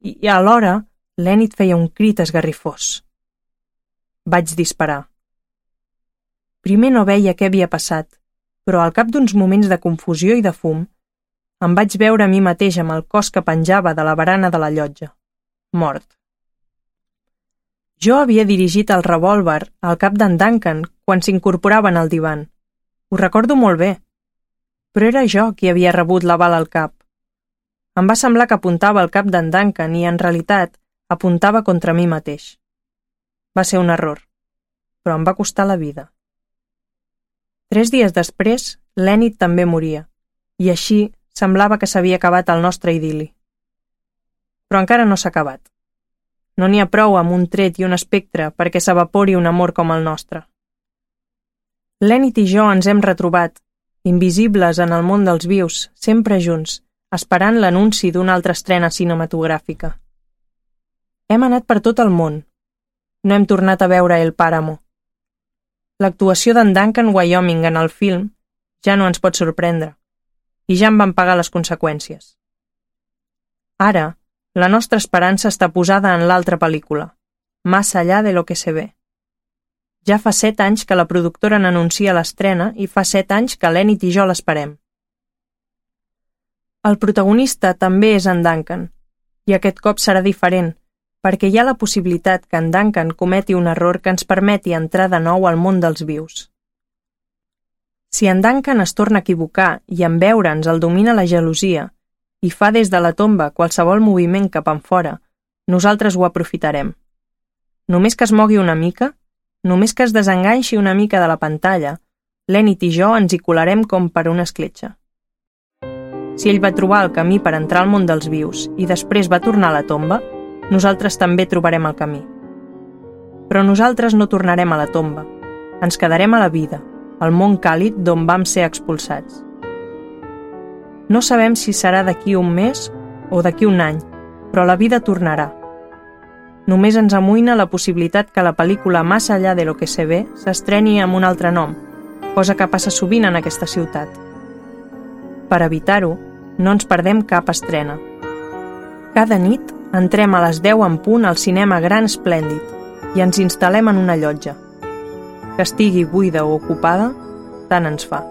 i, i alhora, l'Enid feia un crit esgarrifós. Vaig disparar. Primer no veia què havia passat, però al cap d'uns moments de confusió i de fum, em vaig veure a mi mateix amb el cos que penjava de la barana de la llotja, mort. Jo havia dirigit el revòlver al cap d'en Duncan quan s'incorporava en el divan. Ho recordo molt bé, però era jo qui havia rebut la bala al cap. Em va semblar que apuntava al cap d'en Duncan i, en realitat, apuntava contra mi mateix. Va ser un error, però em va costar la vida. Tres dies després, l'Enid també moria, i així semblava que s'havia acabat el nostre idil·li. Però encara no s'ha acabat. No n'hi ha prou amb un tret i un espectre perquè s'evapori un amor com el nostre. L'Enid i jo ens hem retrobat, invisibles en el món dels vius, sempre junts, esperant l'anunci d'una altra estrena cinematogràfica. Hem anat per tot el món. No hem tornat a veure El Páramo. L'actuació d'en Duncan Wyoming en el film ja no ens pot sorprendre, i ja en vam pagar les conseqüències. Ara, la nostra esperança està posada en l'altra pel·lícula, Más allá de lo que se ve. Ja fa set anys que la productora n'anuncia l'estrena i fa set anys que l'Enid i jo l'esperem. El protagonista també és en Duncan, i aquest cop serà diferent, perquè hi ha la possibilitat que en Duncan cometi un error que ens permeti entrar de nou al món dels vius. Si en Duncan es torna a equivocar i en veure'ns el domina la gelosia i fa des de la tomba qualsevol moviment cap enfora, nosaltres ho aprofitarem. Només que es mogui una mica, només que es desenganxi una mica de la pantalla, l'Enid i jo ens hi colarem com per una escletxa. Si ell va trobar el camí per entrar al món dels vius i després va tornar a la tomba, nosaltres també trobarem el camí. Però nosaltres no tornarem a la tomba. Ens quedarem a la vida, al món càlid d'on vam ser expulsats. No sabem si serà d'aquí un mes o d'aquí un any, però la vida tornarà. Només ens amoïna la possibilitat que la pel·lícula Más allá de lo que se ve s'estreni amb un altre nom, cosa que passa sovint en aquesta ciutat. Per evitar-ho, no ens perdem cap estrena. Cada nit entrem a les deu en punt al cinema Gran Esplèndid i ens instal·lem en una llotja. Que estigui buida o ocupada, tant ens fa.